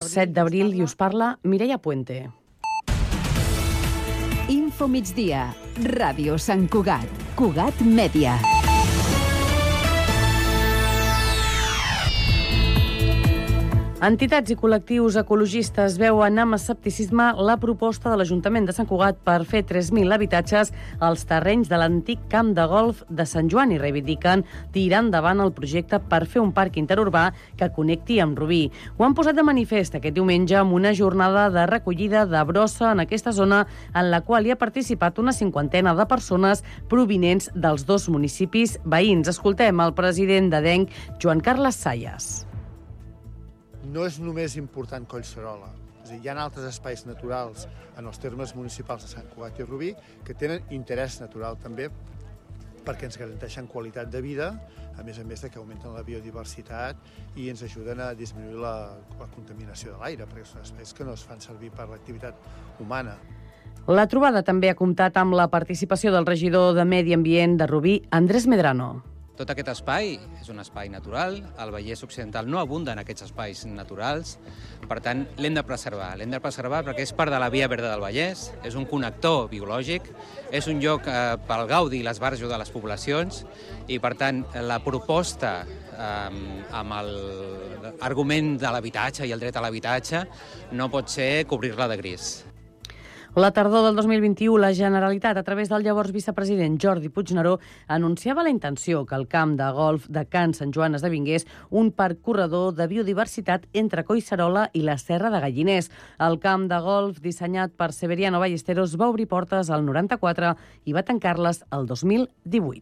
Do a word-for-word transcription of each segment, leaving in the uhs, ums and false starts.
set d'abril i us parla Mireia Puente. Info migdia, Ràdio Sant Cugat, Cugat Mèdia. Entitats i col·lectius ecologistes veuen amb escepticisme la proposta de l'Ajuntament de Sant Cugat per fer tres mil habitatges als terrenys de l'antic camp de golf de Sant Joan i reivindiquen tirar endavant el projecte per fer un parc interurbà que connecti amb Rubí. Ho han posat de manifest aquest diumenge amb una jornada de recollida de brossa en aquesta zona en la qual hi ha participat una cinquantena de persones provinents dels dos municipis veïns. Escoltem el president d'Adenc, Joan Carles Sayas. No és només important Collserola. És a dir, hi ha altres espais naturals en els termes municipals de Sant Cugat i Rubí que tenen interès natural també perquè ens garanteixen qualitat de vida, a més a més de que augmenten la biodiversitat i ens ajuden a disminuir la, la contaminació de l'aire, perquè són espais que no es fan servir per l'activitat humana. La trobada també ha comptat amb la participació del regidor de Medi Ambient de Rubí, Andrés Medrano. Tot aquest espai és un espai natural, el Vallès Occidental no abunda en aquests espais naturals, per tant l'hem de preservar. L'hem de preservar perquè és part de la Via Verda del Vallès, és un connector biològic, és un lloc eh, pel gaudi i l'esbarjo de les poblacions i per tant la proposta eh, amb l'argument de l'habitatge i el dret a l'habitatge no pot ser cobrir-la de gris. La tardor del dos mil vint-i-u, la Generalitat, a través del llavors vicepresident Jordi Puigneró, anunciava la intenció que el camp de golf de Can Sant Joan esdevingués un parc corredor de biodiversitat entre Collserola i la Serra de Galliners. El camp de golf, dissenyat per Severiano Ballesteros, va obrir portes al noranta-quatre i va tancar-les el dos mil divuit.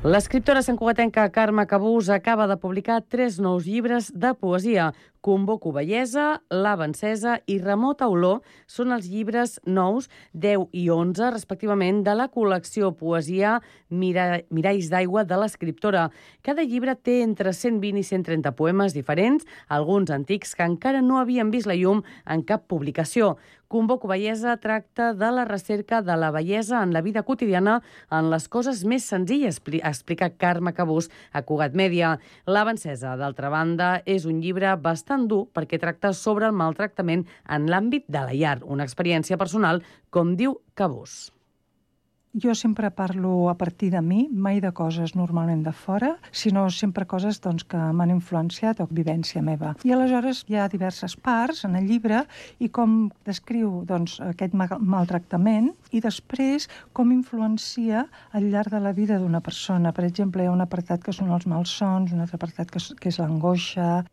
L'escriptora santcugatenca Carme Cabús acaba de publicar tres nous llibres de poesia. Convoco bellesa, Lava encesa i Remota olor són els llibres nous, deu i onze, respectivament, de la col·lecció Poesia Mira... Miralls d'aigua de l'escriptora. Cada llibre té entre cent vint i cent trenta poemes diferents, alguns antics que encara no havien vist la llum en cap publicació. Convoco bellesa tracta de la recerca de la bellesa en la vida quotidiana en les coses més senzilles, explica Carme Cabús a Cugat Mèdia. Lava encesa, d'altra banda, és un llibre bastant dur perquè tracta sobre el maltractament en l'àmbit de la llar, una experiència personal, com diu Cabús. Jo sempre parlo a partir de mi, mai de coses normalment de fora, sinó sempre coses doncs, que m'han influenciat o vivència meva. I aleshores hi ha diverses parts en el llibre i com descriu doncs, aquest maltractament i després com influencia al llarg de la vida d'una persona. Per exemple, hi ha un apartat que són els malsons, un altre apartat que és, que és l'angoixa.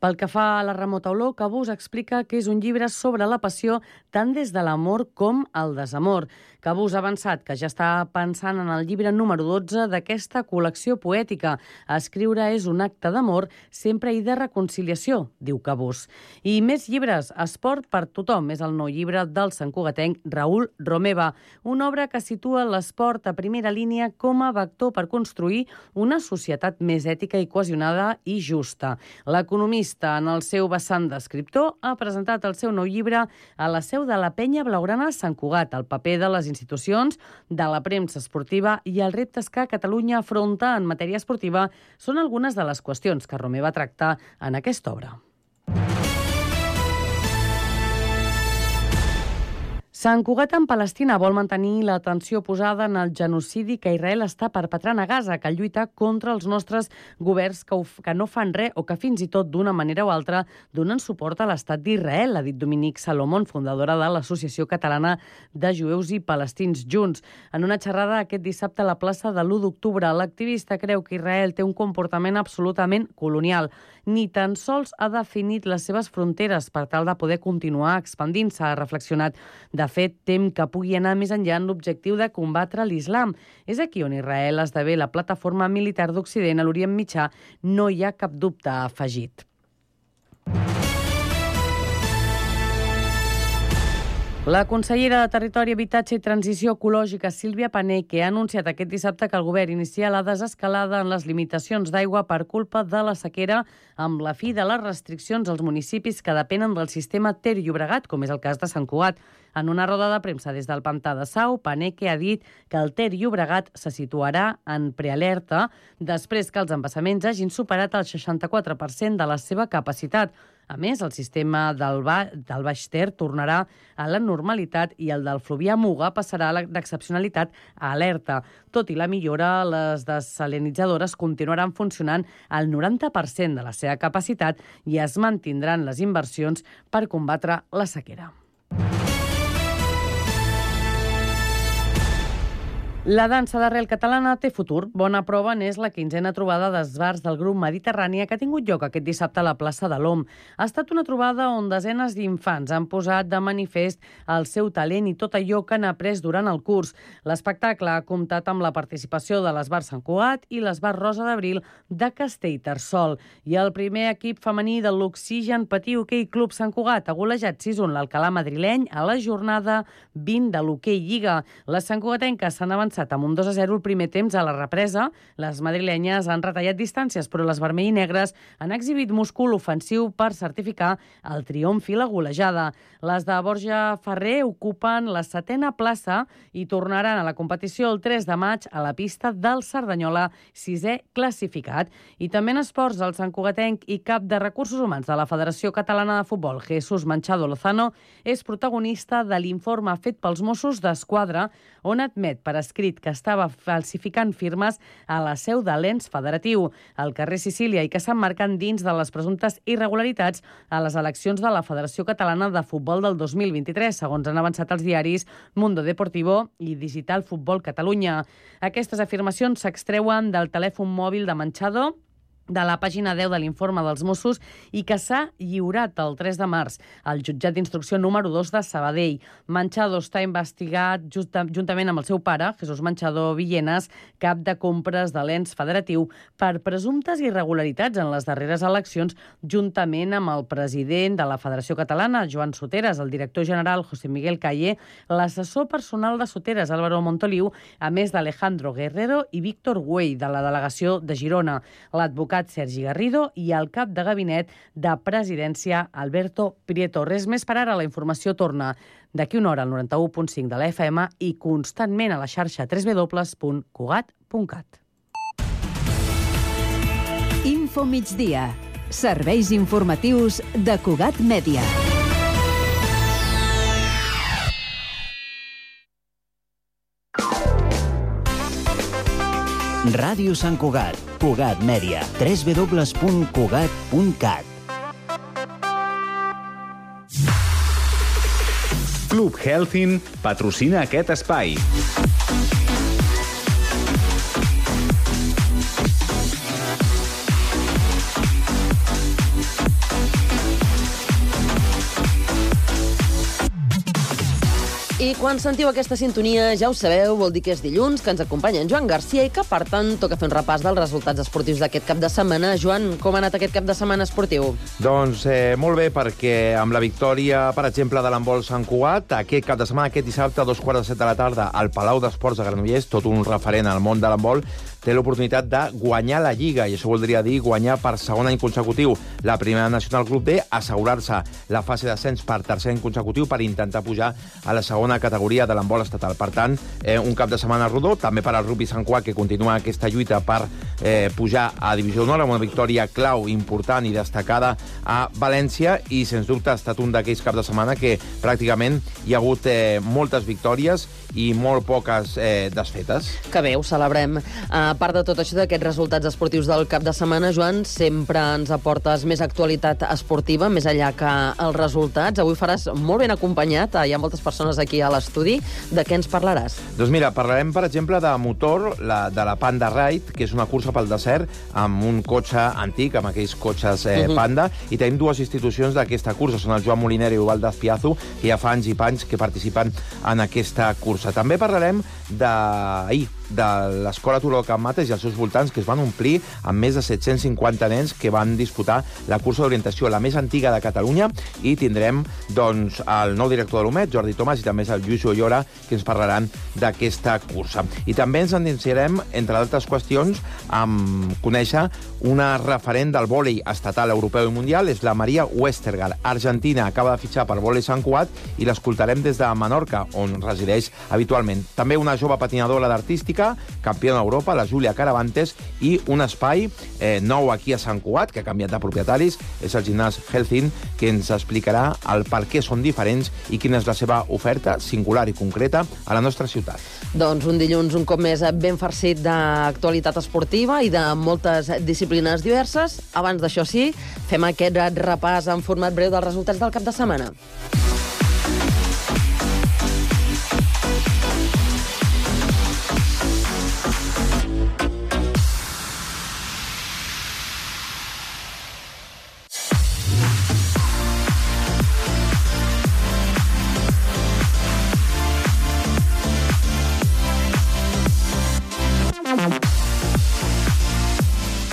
Pel que fa a la remota olor, Cabús explica que és un llibre sobre la passió tant des de l'amor com el desamor. Cabús ha avançat que ja està pensant en el llibre número dotze d'aquesta col·lecció poètica. Escriure és un acte d'amor, sempre i de reconciliació, diu Cabús. I més llibres. Esport per tothom és el nou llibre del santcugatenc Raül Romeva, una obra que situa l'esport a primera línia com a vector per construir una societat més ètica i cohesionada i justa. L'economista, en el seu vessant d'escriptor, ha presentat el seu nou llibre a la seu de la Penya Blaugrana Sant Cugat, el paper de les institucions, de la premsa esportiva i els reptes que Catalunya afronta en matèria esportiva són algunes de les qüestions que Romeva tracta en aquesta obra. Sant Cugat en Palestina vol mantenir l'atenció posada en el genocidi que Israel està perpetrant a Gaza, que lluita contra els nostres governs que, ho, que no fan res o que fins i tot d'una manera o altra donen suport a l'estat d'Israel, ha dit Dominique Salomon, fundadora de l'Associació Catalana de Jueus i Palestins Junts. En una xerrada aquest dissabte a la plaça de l'u d'octubre, l'activista creu que Israel té un comportament absolutament colonial. Ni tan sols ha definit les seves fronteres per tal de poder continuar expandint-se, ha reflexionat. De fet, tem que pugui anar més enllà en l'objectiu de combatre l'islam. És aquí on Israel esdevé la plataforma militar d'Occident a l'Orient Mitjà, no hi ha cap dubte, ha afegit. La consellera de Territori, Habitatge i Transició Ecològica, Sílvia Paneque, ha anunciat aquest dissabte que el govern inicia la desescalada en les limitacions d'aigua per culpa de la sequera amb la fi de les restriccions als municipis que depenen del sistema Ter Llobregat, com és el cas de Sant Cugat. En una roda de premsa des del pantà de Sau, Paneque ha dit que el Ter Llobregat se situarà en prealerta després que els embassaments hagin superat el seixanta-quatre per cent de la seva capacitat. A més, el sistema del, ba del Baix Ter tornarà a la normalitat i el del Fluvià Muga passarà d'excepcionalitat a alerta. Tot i la millora, les desalinitzadores continuaran funcionant al noranta per cent de la seva capacitat i es mantindran les inversions per combatre la sequera. La dansa d'arrel catalana té futur. Bona prova n'és la quinzena trobada d'esbarts del grup Mediterrània que ha tingut lloc aquest dissabte a la plaça de l'Om. Ha estat una trobada on desenes d'infants han posat de manifest el seu talent i tot allò que han après durant el curs. L'espectacle ha comptat amb la participació de l'Esbart Sant Cugat i l'Esbart Rosa d'Abril de Castellterçol. I el primer equip femení de l'Oxigen Patí Hoquei Club Sant Cugat ha golejat sis a un l'Alcalà madrileny a la jornada vint de l'Hoquei Lliga. Les santcugatenques s'han avançat amb un dos a zero el primer temps a la represa. Les madrilenyes han retallat distàncies, però les vermell i negres han exhibit múscul ofensiu per certificar el triomf i la golejada. Les de Borja Ferrer ocupen la setena plaça i tornaran a la competició el tres de maig a la pista del Cerdanyola, sisè classificat. I també en esports, el santcugatenc i cap de recursos humans de la Federació Catalana de Futbol, Jesús Manchado Lozano, és protagonista de l'informe fet pels Mossos d'Esquadra, on admet per escrit que estava falsificant firmes a la seu de l'ens federatiu, al carrer Sicília, i que s'emmarquen dins de les presumptes irregularitats a les eleccions de la Federació Catalana de Futbol del dos mil vint-i-tres, segons han avançat els diaris Mundo Deportivo i Digital Futbol Catalunya. Aquestes afirmacions s'extreuen del telèfon mòbil de Manchado, de la pàgina deu de l'informe dels Mossos i que s'ha lliurat el tres de març al jutjat d'instrucció número dos de Sabadell. Manchado està investigat justa, juntament amb el seu pare, Jesús Manchado Villenas, cap de compres de l'ens federatiu, per presumptes irregularitats en les darreres eleccions, juntament amb el president de la Federació Catalana, Joan Soteras, el director general, José Miguel Calle, l'assessor personal de Soteras, Álvaro Montoliu, a més d'Alejandro Guerrero i Víctor Güell, de la delegació de Girona, l'advocat Sergi Garrido i el cap de gabinet de presidència, Alberto Prieto. Res més per ara, la informació torna d'aquí una hora al noranta-u punt cinc de la F M i constantment a la xarxa w w w punt cugat punt cat. Info migdia. Serveis informatius de Cugat Mèdia. Ràdio Sant Cugat, Cugat Mèdia, w w w punt cugat punt cat. Club Healthin patrocina aquest espai. I quan sentiu aquesta sintonia, ja ho sabeu, vol dir que és dilluns, que ens acompanya en Joan Garcia i que, per tant, toca fer un repàs dels resultats esportius d'aquest cap de setmana. Joan, com ha anat aquest cap de setmana esportiu? Doncs eh, molt bé, perquè amb la victòria, per exemple, de l'handbol Sant Cugat, aquest cap de setmana, aquest dissabte, a dos quarts de set de la tarda, al Palau d'Esports de Granollers, tot un referent al món de l'handbol, té l'oportunitat de guanyar la Lliga, i això voldria dir guanyar per segon any consecutiu la primera nacional Club D, assegurar-se la fase d'ascens per tercer any consecutiu per intentar pujar a la segona categoria de l'handbol estatal. Per tant, eh, un cap de setmana rodó, també per al rugby Sant Cugat, que continua aquesta lluita per eh, pujar a Divisió d'Honor, amb una victòria clau, important i destacada a València, i sens dubte ha estat un d'aquells caps de setmana que pràcticament hi ha hagut eh, moltes victòries i molt poques eh, desfetes. Que bé, ho celebrem. A part de tot això, d'aquests resultats esportius del cap de setmana, Joan, sempre ens aportes més actualitat esportiva, més enllà que els resultats. Avui faràs molt ben acompanyat, hi ha moltes persones aquí a l'estudi. De què ens parlaràs? Doncs mira, parlarem, per exemple, de motor, la, de la Panda Ride, que és una cursa pel desert amb un cotxe antic, amb aquells cotxes eh, uh-huh. Panda, i tenim dues institucions d'aquesta cursa, són el Joan Moliner i Ubaldo Azpiazu, que ja fa anys i panys que participen en aquesta cursa. També parlarem d'ahir, de l'Escola Turó del Can Mates i els seus voltants, que es van omplir amb més de set-cents cinquanta nens que van disputar la cursa d'orientació, la més antiga de Catalunya, i tindrem doncs, el nou director de l'U M E D, Jordi Tomàs, i també el Lluís Ollora, que ens parlaran d'aquesta cursa. I també ens endinsarem, entre d'altres qüestions, amb conèixer una referent del vòlei estatal, europeu i mundial, és la Maria Westergaard. Argentina acaba de fitxar per Vòlei Sant Cugat i l'escoltarem des de Menorca, on resideix habitualment. També una jove patinadora d'artística, campiona d'Europa, la Júlia Caravantes, i un espai eh, nou aquí a Sant Cugat, que ha canviat de propietaris, és el gimnàs Healthin, que ens explicarà el per què són diferents i quina és la seva oferta singular i concreta a la nostra ciutat. Doncs un dilluns un cop més ben farcit d'actualitat esportiva i de moltes disciplines diverses. Abans d'això sí, fem aquest repàs en format breu dels resultats del cap de setmana.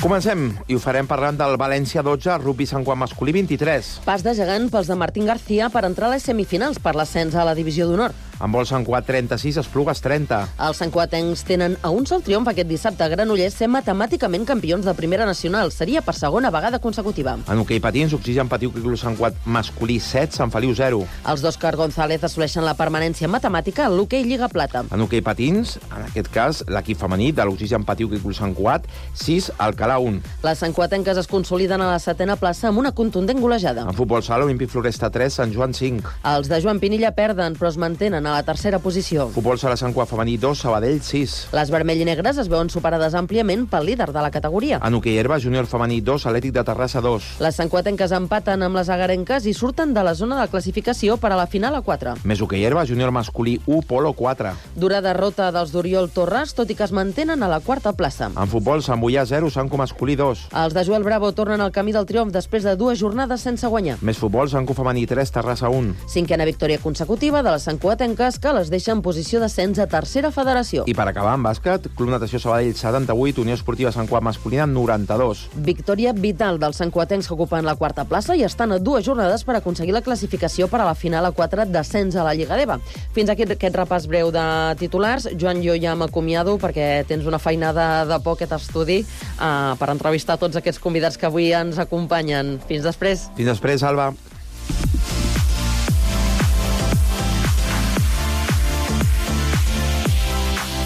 Comencem, i ho farem parlant del València dotze, Rugby Sant Cugat masculí vint-i-tres. Pas de gegant pels de Martín García per entrar a les semifinals per l'ascens a la divisió d'honor. En vol Sant Cugat trenta-sis, Esplugues trenta. Els santcugatencs tenen a un sol triomf aquest dissabte a Granollers, ser matemàticament campions de primera nacional. Seria per segona vegada consecutiva. En hoquei patins, Oxigen Patiu Club Sant Cugat masculí set, Sant Feliu zero. Els d'Òscar González assoleixen la permanència matemàtica a l'hoquei Lliga Plata. En hoquei patins, en aquest cas, l'equip femení de l'Oxigen Patiu Club Sant Cugat sis, Alcalà un. Les santcugatenques es consoliden a la setena plaça amb una contundent golejada. En futbol sala, Olímpic Floresta tres, Sant Joan cinc. Els de Joan Pinilla perden, però es mantenen a la tercera posició. Futbol sala Sant Cugat femení dos, Sabadell sis. Les vermell i negres es veuen superades àmpliament pel líder de la categoria. En hoquei herba, Júnior femení dos, Atlètic de Terrassa dos. Les santcugatenques empaten amb les agarenques i surten de la zona de classificació per a la final a quatre. Més hoquei herba, Júnior masculí u, Polo quatre. Dura derrota dels d'Oriol Torres, tot i que es mantenen a la quarta plaça. En futbol, Sant Boià zero, Sant Cu masculí dos. Els de Joel Bravo tornen al camí del triomf després de dues jornades sense guanyar. Més futbol, Sant Cu femení tres, Terrassa un. Cinquena victòria consecutiva de les santcugatenques, que les deixa en posició d'ascens a tercera federació. I per acabar, en bàsquet, Club Natació Sabadell setanta-vuit, Unió Esportiva Sant Cugat masculina noranta-dos. Victòria vital dels santcugatencs, que ocupen la quarta plaça i estan a dues jornades per aconseguir la classificació per a la final a quatre d'ascens a la Lliga d'E V A. Fins aquí aquest repàs breu de titulars. Joan, jo ja m'acomiado perquè tens una feinada de por aquest estudi uh, per entrevistar tots aquests convidats que avui ens acompanyen. Fins després. Fins després, Alba.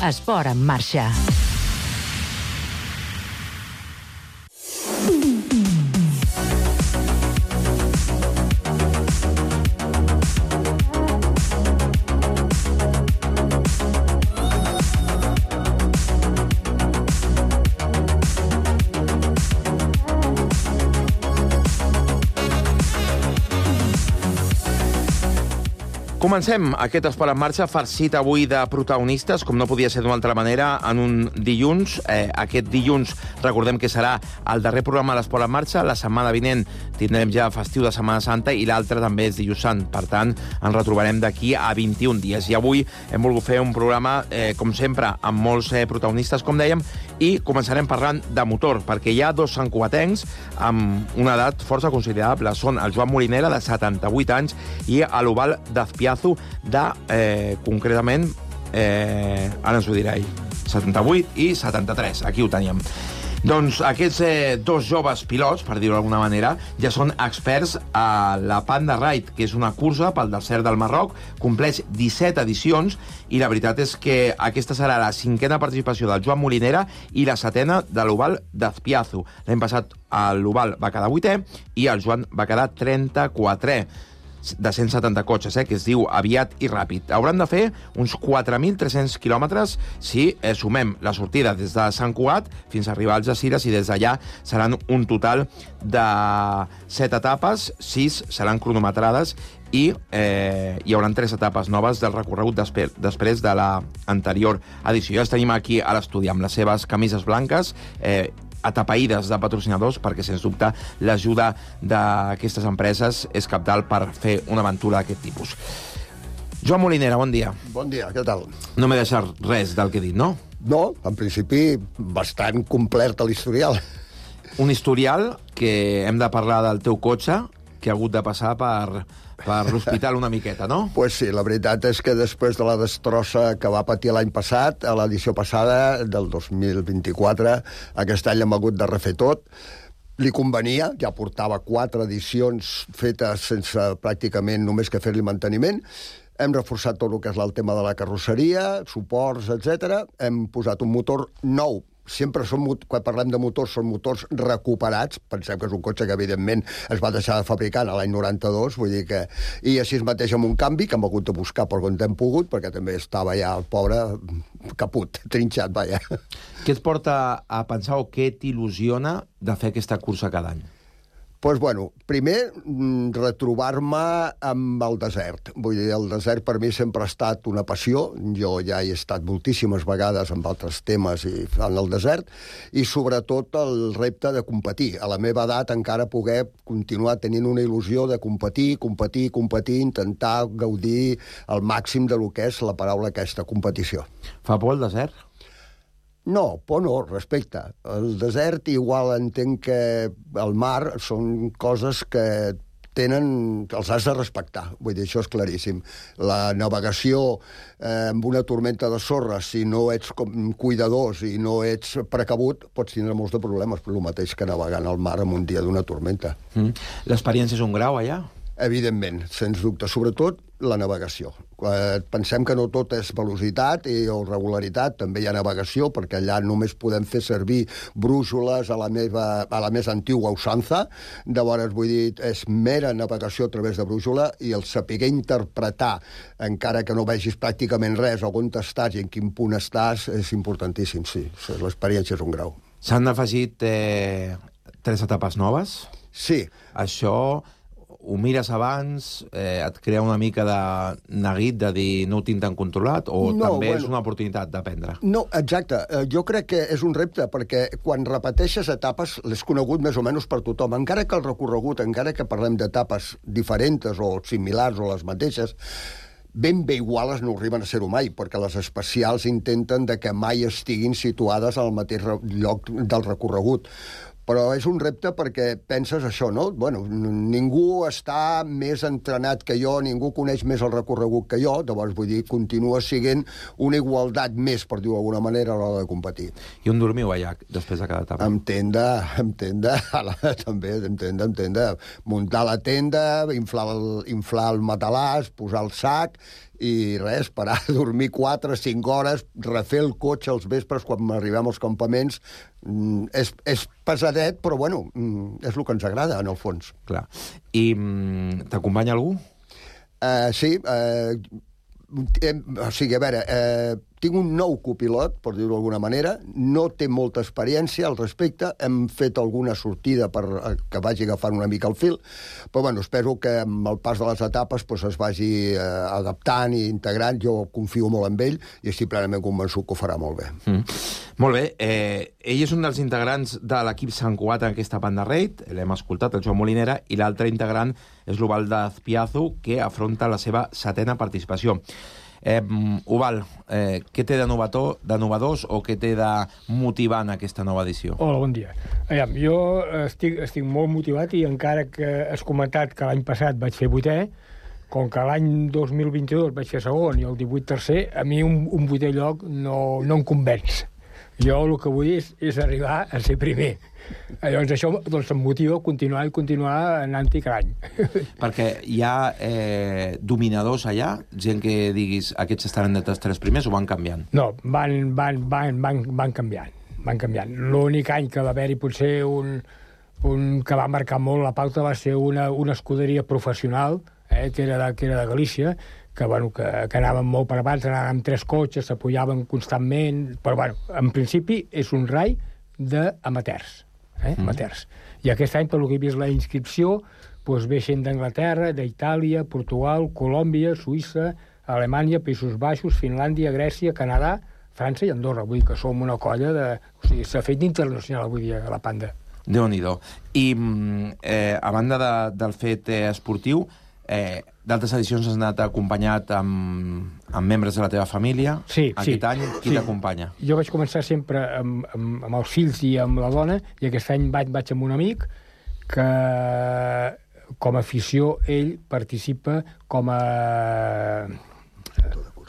Esport en marxa. Comencem aquest Esport en marxa farcit avui de protagonistes, com no podia ser d'una altra manera, en un dilluns. Eh, aquest dilluns recordem que serà el darrer programa de l'Esport en marxa. La setmana vinent tindrem ja festiu de Setmana Santa i l'altre també és dilluns sant. Per tant, ens retrobarem d'aquí a vint-i-un dies. I avui hem volgut fer un programa, eh, com sempre, amb molts eh, protagonistes, com dèiem, i començarem parlant de motor, perquè hi ha dos santcugatencs amb una edat força considerable. Són el Joan Molinera, de setanta-vuit anys, i l'Oval d'Azpiazu, de, eh, concretament, eh, ara ens ho dirà ell, setanta-vuit i setanta-tres, aquí ho teníem. Doncs aquests eh, dos joves pilots, per dir-ho d'alguna manera, ja són experts a la Panda Ride, que és una cursa pel desert del Marroc, compleix disset edicions, i la veritat és que aquesta serà la cinquena participació del Joan Molinera i la setena de l'Oval d'Azpiazu. L'any passat l'Oval va quedar vuitè i el Joan va quedar trenta-quatrè. De cent setanta cotxes, eh, que es diu aviat i ràpid. Hauran de fer uns quatre mil tres-cents quilòmetres si eh, sumem la sortida des de Sant Cugat fins a arribar als Algesires, i des d'allà seran un total de set etapes, sis seran cronometrades, i eh, hi haurà tres etapes noves del recorregut després, després de l'anterior edició. Ja els tenim aquí a l'estudi amb les seves camises blanques, eh, atapeïdes de patrocinadors, perquè, sens dubte, l'ajuda d'aquestes empreses és cabdal per fer una aventura d'aquest tipus. Joan Molinera, bon dia. Bon dia, què tal? No m'he deixat res del que he dit, no? No, en principi, bastant complert a l'historial. Un historial que hem de parlar del teu cotxe, que ha hagut de passar per, per l'hospital una miqueta, no? Pues sí, la veritat és que després de la destrossa que va patir l'any passat, a l'edició passada, del dos mil vint-i-quatre, aquest any hem hagut de refer tot. Li convenia, ja portava quatre edicions fetes sense pràcticament només que fer-li manteniment. Hem reforçat tot el que és el tema de la carrosseria, suports, etcètera. Hem posat un motor nou. Sempre són, quan parlem de motors, són motors recuperats. Pensem que és un cotxe que, evidentment, es va deixar de fabricar l'any noranta-dos, vull dir que... I així mateix amb un canvi que hem hagut de buscar per on hem pogut, perquè també estava ja el pobre caput, trinxat, vaja. Què et porta a pensar o què t'il·lusiona de fer aquesta cursa cada any? Doncs, bueno, primer, retrobar-me amb el desert. Vull dir, el desert per mi sempre ha estat una passió. Jo ja he estat moltíssimes vegades amb altres temes i en el desert, i sobretot el repte de competir. A la meva edat encara poder continuar tenint una il·lusió de competir, competir, competir, intentar gaudir al màxim de lo que és la paraula aquesta, competició. Fa por el desert? No, por no, respecte. El desert igual entenc que el mar són coses que tenen, els has de respectar. Vull dir, això és claríssim. La navegació eh, amb una tormenta de sorra, si no ets com cuidadors i no ets precabut, pots tindre molts de problemes, però el mateix que navegant al mar en un dia d'una tormenta. Mm. L'experiència és un grau, allà? Evidentment, sens dubte. Sobretot la navegació. Pensem que no tot és velocitat i, o regularitat, també hi ha navegació, perquè allà només podem fer servir brúixoles a la, meva, a la més antiga usança. Llavors, vull dir, és mera navegació a través de brúixola, i el saber interpretar, encara que no vegis pràcticament res, on estàs i en quin punt estàs, és importantíssim, sí. L'experiència és un grau. S'han afegit eh, tres etapes noves? Sí. Això... ho mires abans, eh, et crea una mica de neguit de dir no ho tinc tan controlat, o no, també bueno, és una oportunitat d'aprendre? No, exacte. Jo crec que és un repte, perquè quan repeteixes etapes l'has conegut més o menys per tothom. Encara que el recorregut, encara que parlem d'etapes diferents o similars o les mateixes, ben bé iguales no arriben a ser-ho mai, perquè les especials intenten de que mai estiguin situades al mateix lloc del recorregut. Però és un repte perquè penses això, no? Bueno, ningú està més entrenat que jo, ningú coneix més el recorregut que jo, llavors, vull dir, continua sent una igualtat més, per dir-ho d'alguna manera, a l'hora de competir. I on dormiu allà, després de cada etapa? Amb tenda, amb tenda, també, amb tenda, amb tenda. Muntar la tenda, inflar el, inflar el matalàs, posar el sac, i res, parar a dormir quatre, cinc hores, refer el cotxe als vespres quan arribem als campaments. Mm, és, és pesadet, però bueno, mm, és el que ens agrada, en el fons. Clar. I mm, t'acompanya algú? Uh, sí, uh, o sigui, a veure, eh, tinc un nou copilot, per dir-ho d'alguna manera, no té molta experiència al respecte, hem fet alguna sortida per que vagi agafant una mica el fil, però bueno, espero que amb el pas de les etapes pues, es vagi eh, adaptant i integrant. Jo confio molt en ell i estic plenament convençut que ho farà molt bé. Mm. Molt bé. Eh, ell és un dels integrants de l'equip Sant Cugat en aquesta banda raid, l'hem escoltat, el Joan Molinera, i l'altre integrant és l'Oval d'Azpiazu, que afronta la seva setena participació. Eh, Oval, eh, què té de novató, de novedós o què té de motivar en aquesta nova edició? Hola, bon dia. Aviam, jo estic, estic molt motivat, i encara que has comentat que l'any passat vaig fer vuitè, com que l'any dos mil vint-i-dos vaig fer segon i el divuit tercer, a mi un, un vuitè lloc no, no em convenç. Jo el que vull és, és arribar a ser primer. Llavors això doncs, em motiva a continuar i continuar anant-hi cada any. Perquè hi ha eh, dominadors allà, gent que diguis aquests estaran entre els tres primers, o van canviant? No, van, van, van, van, van canviant. Van canviant. L'únic any que va haver-hi potser un, un que va marcar molt la pauta va ser una, una escuderia professional, eh, que, era de, que era de Galícia, que, bueno, que, que anaven molt per abans, anaven amb tres cotxes, s'apoyaven constantment, però bueno, en principi és un rai d'amateurs. Eh? Mm. Amateurs. I aquest any, per lo que he vist la inscripció, doncs ve gent d'Anglaterra, d'Itàlia, Portugal, Colòmbia, Suïssa, Alemanya, Països Baixos, Finlàndia, Grècia, Canadà, França i Andorra. Vull dir que som una colla de... O sigui, s'ha fet internacional avui dia, la Panda. Déu-n'hi-do. I, eh, a banda de, del fet eh, esportiu, eh, d'altres edicions has anat acompanyat amb, amb membres de la teva família. Sí, Aquest sí. any, qui sí. t'acompanya? Jo vaig començar sempre amb, amb, amb els fills i amb la dona, i aquest any vaig, vaig amb un amic que, com a afició, ell participa com a,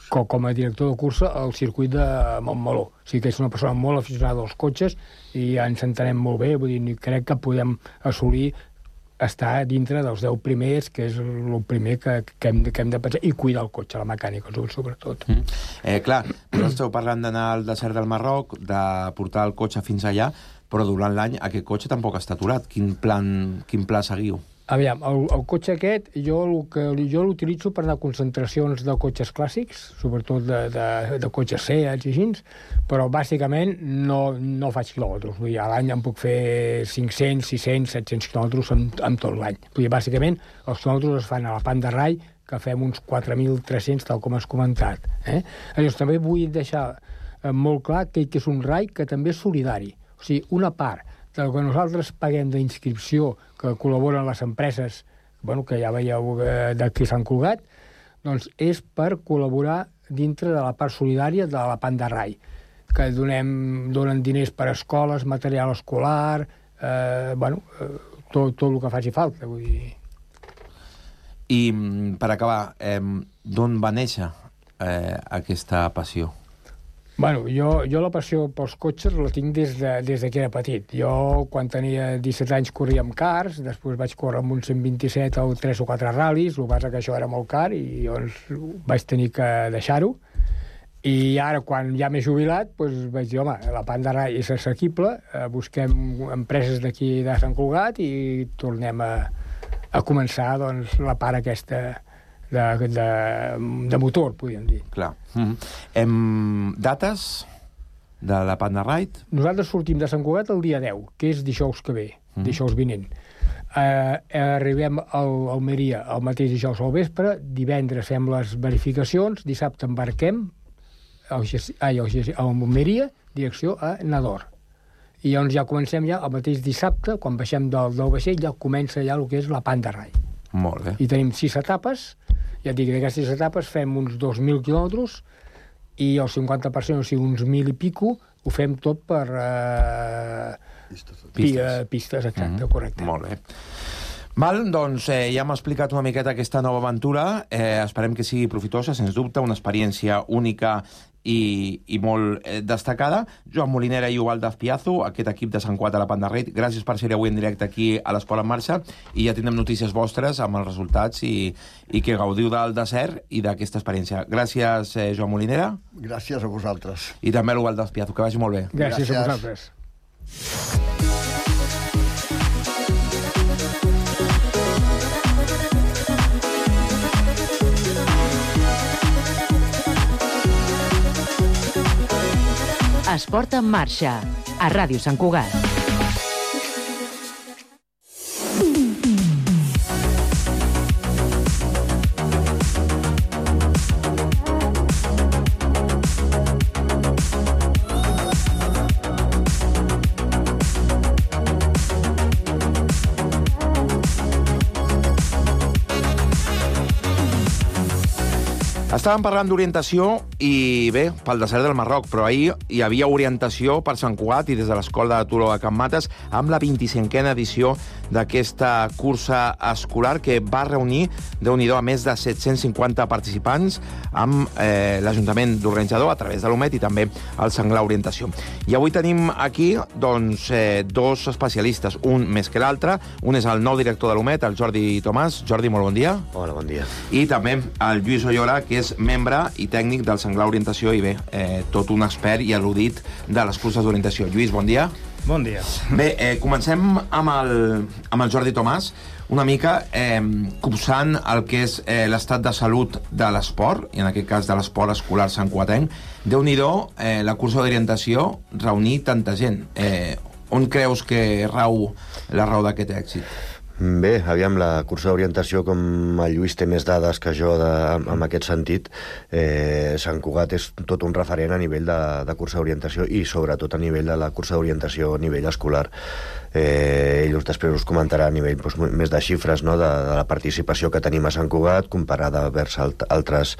com, com a director de cursa al circuit de Montmeló. O sigui que és una persona molt aficionada als cotxes i ens entenem molt bé, vull dir, crec que podem assolir estar dintre dels deu primers, que és el primer que, que, hem, que hem de pensar, i cuidar el cotxe, la mecànica, sobretot. Mm. Eh, clar, vosaltres esteu parlant d'anar al desert del Marroc, de portar el cotxe fins allà, però durant l'any aquest cotxe tampoc està aturat. Quin plan, quin pla seguiu? Aviam, el, el cotxe aquest, jo, el que, jo l'utilitzo per anar a concentracions de cotxes clàssics, sobretot de, de, de cotxes Seat i així, però bàsicament no, no faig quilòmetres. Vull dir, a l'any em puc fer cinc-cents, sis-cents, set-cents quilòmetres en, en tot l'any. Vull dir, bàsicament, els quilòmetres es fan a la Pan de Rai, que fem uns quatre mil tres-cents, tal com has comentat. Eh? Llavors, també vull deixar molt clar que, que és un rai que també és solidari. O sigui, una part del que nosaltres paguem d'inscripció, que col·laboren les empreses, bueno, que ja veieu d'aquí Sant Cugat, doncs és per col·laborar dintre de la part solidària de la Pan de Rai, que donem, donen diners per a escoles, material escolar, eh, bueno, eh, tot, tot el que faci falta. Vull dir. I, per acabar, eh, d'on va néixer eh, aquesta passió? Bueno, jo, jo la passió pels cotxes la tinc des de, des de que era petit. Jo, quan tenia disset anys, corria amb cars, després vaig córrer amb un cent vint-i-set o tres o quatre ral·lis, el que passa que això era molt car i llavors vaig tenir que deixar-ho. I ara, quan ja m'he jubilat, doncs vaig dir, home, la Pan de Rai és assequible, eh, busquem empreses d'aquí de Sant Cugat i tornem a, a començar doncs, la part aquesta de, de, de motor, podríem dir. Clar. Mm-hmm. Hem... Dates de la Pan de Rai? Nosaltres sortim de Sant Cugat el dia deu, que és dijous que ve, mm-hmm. dijous vinent. Uh, arribem a Almeria el mateix dijous al vespre, divendres fem les verificacions, dissabte embarquem a Almeria, direcció a Nador. I llavors ja comencem ja el mateix dissabte, quan baixem del, del vaixell, ja comença ja el que és la Pan de Rai. Molt bé. I tenim sis etapes, ja et dic, d'aquestes etapes fem uns dos mil quilòmetres i el cinquanta per cent, o sigui, uns mil i pico, ho fem tot per... Eh, pistes. Pistes, pistes exacte, mm-hmm. correcte. Molt bé. Val, doncs eh, ja m'ha explicat una miqueta aquesta nova aventura. Eh, esperem que sigui profitosa, sens dubte, una experiència única i, i molt eh, destacada. Joan Molinera i Ubaldo Azpiazu, aquest equip de Sant Cugat a la Pan de Rai, gràcies per ser avui en directe aquí a l'Esport en Marxa, i ja tindrem notícies vostres amb els resultats i, i que gaudiu del desert i d'aquesta experiència. Gràcies, eh, Joan Molinera. Gràcies a vosaltres. I també a l'Ubaldo Azpiazu, que vagi molt bé. Gràcies, gràcies a vosaltres. Esport en Marxa, a Ràdio Sant Cugat. Estàvem parlant d'orientació i, bé, pel desert del Marroc, però ahir hi havia orientació per Sant Cugat i des de l'Escola de Turó de Can Mates amb la vint-i-cinquena edició d'aquesta cursa escolar que va reunir, Déu-n'hi-do, a més de set-cents cinquanta participants amb eh, l'Ajuntament d'Organitzador a través de l'U M E T i també el Senglar Orientació. I avui tenim aquí doncs, eh, dos especialistes, un més que l'altre. Un és el nou director de l'U M E T, el Jordi Tomàs. Jordi, molt bon dia. Hola, bon dia. I també el Lluís Oyola, que és membre i tècnic del Senglar Orientació i, bé, eh, tot un expert i al·ludit de les curses d'orientació. Lluís, bon dia. Bon dia. Bé, eh, comencem amb el, amb el Jordi Tomàs, una mica eh, copsant el que és eh, l'estat de salut de l'esport, i en aquest cas de l'esport escolar santcugatenc. Déu-n'hi-do, eh, la cursa d'orientació, reunir tanta gent. Eh, on creus que rau la raó d'aquest èxit? Bé, aviam, la cursa d'orientació, com el Lluís té més dades que jo de, en aquest sentit, eh, Sant Cugat és tot un referent a nivell de, de cursa d'orientació i sobretot a nivell de la cursa d'orientació a nivell escolar. Eh, ell després us comentarà a nivell doncs, més de xifres, no?, de, de la participació que tenim a Sant Cugat comparada vers alt, altres,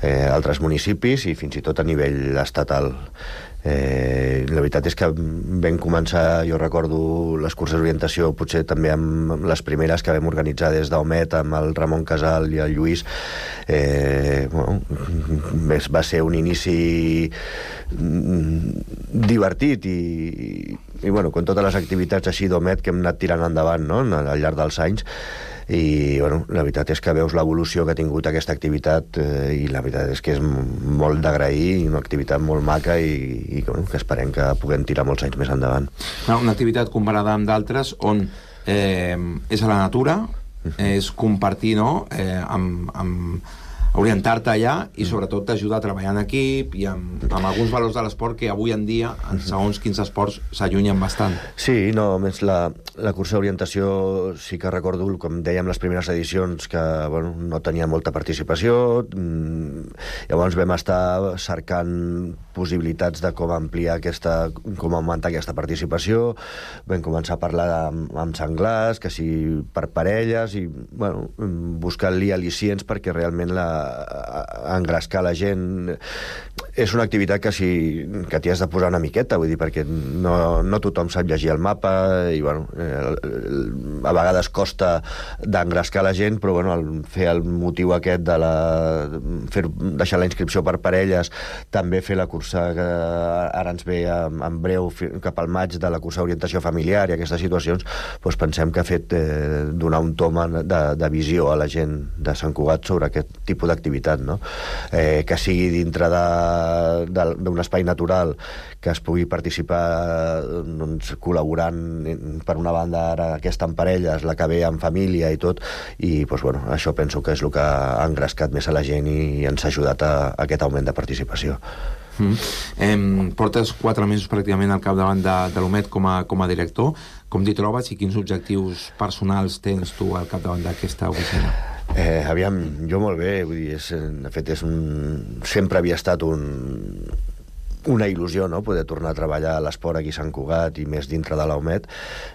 eh, altres municipis i fins i tot a nivell estatal. Eh, la veritat és que vam començar, jo recordo les curses d'orientació potser també amb les primeres que vam organitzar des d'Omet amb el Ramon Casal i el Lluís. eh, bueno, va ser un inici divertit i, i bueno, com totes les activitats així d'Omet que hem anat tirant endavant, no?, al llarg dels anys. I bueno, la veritat és que veus l'evolució que ha tingut aquesta activitat eh, i la veritat és que és molt d'agrair i una activitat molt maca i, i bueno, que esperem que puguem tirar molts anys més endavant. Una activitat comparada amb d'altres on eh, és a la natura, és compartir, no?, eh, amb, amb orientar-te allà i sobretot t'ajuda a treballar en equip i amb, amb alguns valors de l'esport que avui en dia, en segons quins esports, s'allunyen bastant. Sí, no, més la, la cursa d'orientació sí que recordo, com dèiem, les primeres edicions que bueno, no tenia molta participació, llavors vam estar cercant possibilitats de com ampliar aquesta, com augmentar aquesta participació, vam començar a parlar amb, amb senglars, que sí per parelles, i bueno, buscant-li al·licients perquè realment la engrescar la gent. És una activitat que si que t'hi has de posar una miqueta, vull dir, perquè no, no tothom sap llegir el mapa i bueno, eh, a vegades costa d'engrescar la gent, però bueno, el, fer el motiu aquest de la fer, deixar la inscripció per parelles, també fer la cursa que ara ens ve en, en breu cap al maig de la cursa d'orientació familiar i aquestes situacions, doncs pensem que ha fet eh, donar un toma de, de visió a la gent de Sant Cugat sobre aquest tipus d'activitat, no? Eh, que sigui dintre d'un espai natural, que es pugui participar doncs, col·laborant per una banda ara aquesta en parelles, la que ve en família i tot, i doncs, bueno, això penso que és el que ha engrescat més a la gent i ens ha ajudat a, a aquest augment de participació. Mm. Eh, portes quatre mesos pràcticament al capdavant de, de l'Omet com a, com a director. Com t'hi trobes i quins objectius personals tens tu al capdavant d'aquesta oficina? Eh, aviam, jo molt bé, vull dir, és, de fet és un... sempre havia estat un... una il·lusió, no?, poder tornar a treballar a l'esport aquí a Sant Cugat i més dintre de l'Omet.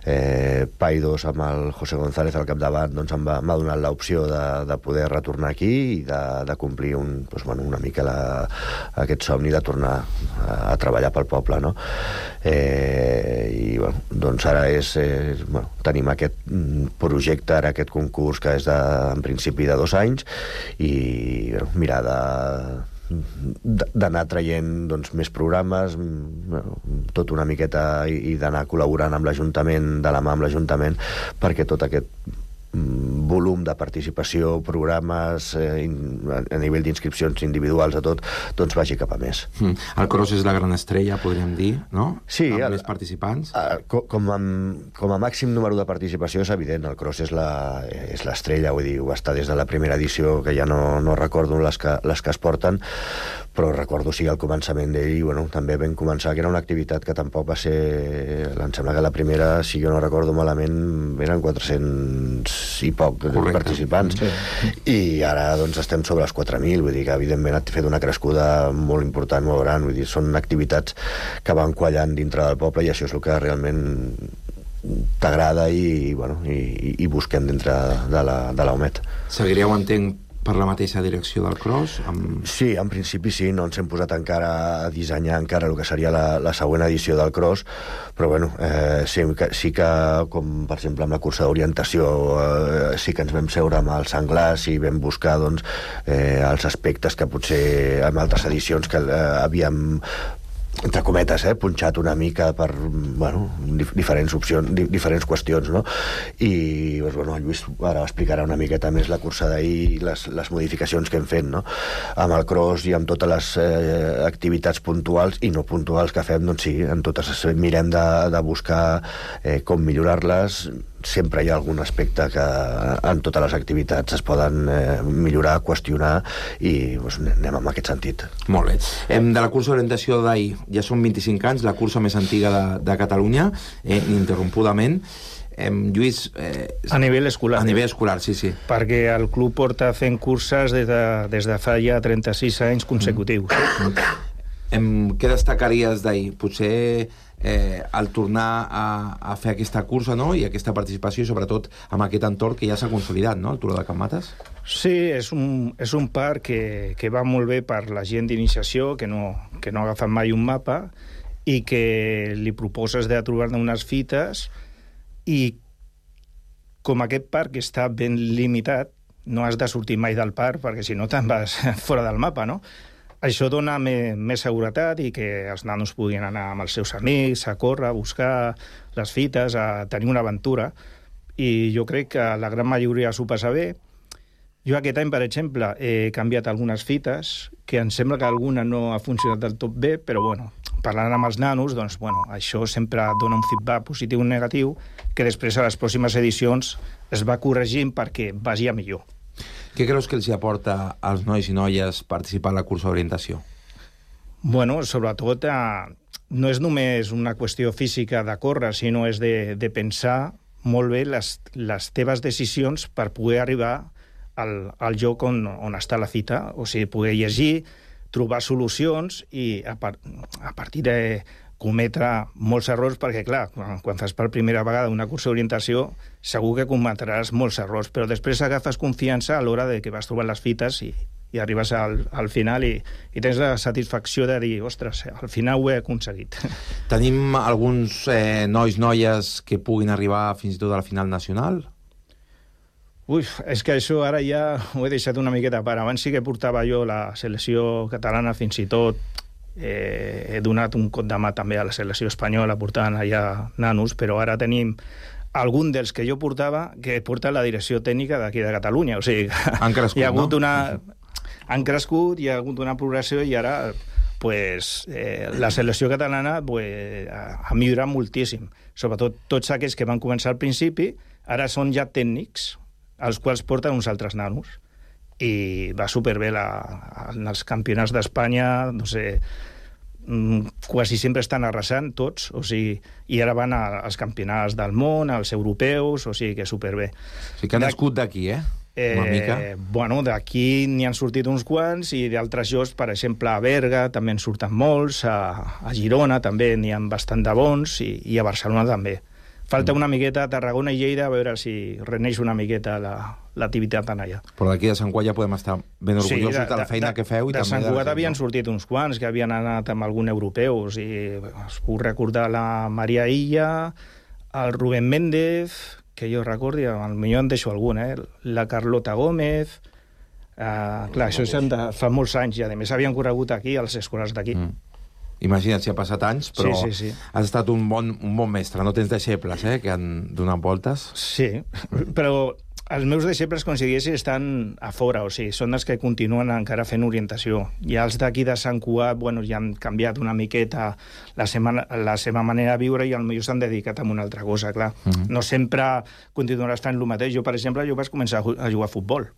Eh, Paidos amb el José González al capdavant doncs em va, m'ha donat l'opció de, de poder retornar aquí i de, de complir un, doncs, bueno, una mica la, aquest somni de tornar a, a treballar pel poble, no? Eh, i bueno, doncs ara és, eh, bueno, tenim aquest projecte, ara aquest concurs que és de, en principi de dos anys i bueno, mirar de d'anar traient doncs, més programes, tot una miqueta, i d'anar col·laborant amb l'Ajuntament, de la mà amb l'Ajuntament, perquè tot aquest volum de participació, programes, eh, a nivell d'inscripcions individuals, a tot, doncs vagi cap a més. Mm. El cross és la gran estrella, podríem dir, no? Sí. Amb el, més participants. A, com, a, com a màxim número de participació és evident, el cross és la, és l'estrella, vull dir, ho està des de la primera edició, que ja no, no recordo les que, les que es porten, però recordo sí el començament d'ell i bueno, també vam començar, que era una activitat que tampoc va ser, em sembla que la primera, si jo no recordo malament, eren quatre-cents i poc Correcte. Participants, sí. I ara doncs estem sobre els quatre mil, vull dir que evidentment ha fet una crescuda molt important, molt gran, vull dir, són activitats que van quallant dintre del poble i això és el que realment t'agrada i, bueno, i, i busquem dintre de la, de l'Omet. Seguireu, entenc, per la mateixa direcció del cross? Amb... Sí, en principi sí, no ens hem posat encara a dissenyar encara el que seria la, la següent edició del cross, però bueno, eh, sí, que, sí que, com per exemple amb la cursa d'orientació, eh, sí que ens vam seure amb els senglars i vam buscar doncs, eh, els aspectes que potser en altres edicions que eh, havíem entre cometes, eh, punxat una mica per, bueno, dif diferents opcions, di diferents qüestions, no? I, doncs, bueno, el Lluís ara explicarà una miqueta més la cursa d'ahir i les, les modificacions que hem fet, no? Amb el cross i amb totes les eh, activitats puntuals i no puntuals que fem, doncs sí, en totes mirem de, de buscar eh, com millorar-les. Sempre hi ha algun aspecte que en totes les activitats es poden eh, millorar, qüestionar i doncs, anem en aquest sentit. Molt bé. Hem de la cursa d'orientació d'ahir, ja són vint-i-cinc anys, la cursa més antiga de, de Catalunya, eh, ininterrompudament. em, Lluís... Eh, a nivell escolar. A nivell escolar, sí, sí. Perquè el club porta fent curses des de, des de fa ja trenta-sis anys consecutius. Mm. Em, què destacaries d'ahir? Potser eh, el tornar a, a fer aquesta cursa, no?, i aquesta participació, sobretot amb aquest entorn que ja s'ha consolidat, no?, el Turó de Can Mates? Sí, és un, és un parc que, que va molt bé per la gent d'iniciació, que no, que no ha agafat mai un mapa, i que li proposes de trobar-ne unes fites, i com aquest parc està ben limitat, no has de sortir mai del parc, perquè si no te'n vas fora del mapa, no? Això dona me, més seguretat i que els nanos puguin anar amb els seus amics, a córrer, a buscar les fites, a tenir una aventura, i jo crec que la gran majoria s'ho passa bé. Jo aquest any, per exemple, he canviat algunes fites, que em sembla que alguna no ha funcionat del tot bé, però bueno, parlant amb els nanos, doncs, bueno, això sempre dona un feedback positiu o negatiu, que després a les pròximes edicions es va corregint perquè vagi a millor. Què creus que els aporta als nois i noies participar en la cursa d'orientació? Bueno, sobretot, eh, no és només una qüestió física de córrer, sinó és de, de pensar molt bé les, les teves decisions per poder arribar al, al lloc on, on està la fita, o sigui, poder llegir, trobar solucions i a, par a partir de cometre molts errors, perquè, clar, quan, quan fas per primera vegada una cursa d'orientació, segur que cometràs molts errors, però després agafes confiança a l'hora de que vas trobant les fites i, i arribes al, al final i, i tens la satisfacció de dir, ostres, al final ho he aconseguit. Tenim alguns eh, nois, noies que puguin arribar fins i tot a la final nacional? Ui, és que això ara ja ho he deixat una miqueta a part. Abans sí que portava jo la selecció catalana, fins i tot eh, he donat un cop de mà també a la selecció espanyola portant allà nanos, però ara tenim algun dels que jo portava que porta la direcció tècnica d'aquí de Catalunya. O sigui, han crescut, hi ha hagut no? una... Han crescut, hi ha hagut una progressió i ara pues, eh, la selecció catalana pues, ha, ha millorat moltíssim. Sobretot tots aquells que van començar al principi, ara són ja tècnics, els quals porten uns altres nanos. I va superbé la, en els campionats d'Espanya, no sé, quasi sempre estan arrasant tots, o sigui, i ara van als campionats del món, als europeus, o sigui que superbé. O sigui que han nascut d'aquí, eh? Una Eh, mica. bueno, d'aquí n'hi han sortit uns quants i d'altres llocs, per exemple, a Berga també en surten molts, a, a Girona també n'hi ha bastant de bons i, i a Barcelona també. Falta una miqueta a Tarragona i Lleida a veure si reneix una miqueta l'activitat la, en allà. Però d'aquí de Sant Cugat ja podem estar ben orgullosos sí, de, de, de la feina de, que feu. I de també Sant Cugat de havien sortit uns quants que havien anat amb algun europeu. O sigui, us puc recordar la Maria Illa, el Rubén Méndez, que jo recordi, potser en deixo algun, eh? La Carlota Gómez... Uh, clar, això és de fa molts anys i a més havien corregut aquí, als escolars d'aquí. Mm. Imagina't si ha passat anys, però sí, sí, sí. has estat un bon, un bon mestre, no tens deixebles, eh, que han donat voltes. Sí, però els meus deixebles, com si diguéssim, estan a fora, o sigui, són els que continuen encara fent orientació. I els d'aquí de Sant Cugat, bueno, ja han canviat una miqueta la, sema, la seva manera de viure i potser s'han dedicat a una altra cosa, clar. Mm-hmm. No sempre continuaràs fent el mateix. Jo, per exemple, jo vaig començar a jugar a futbol.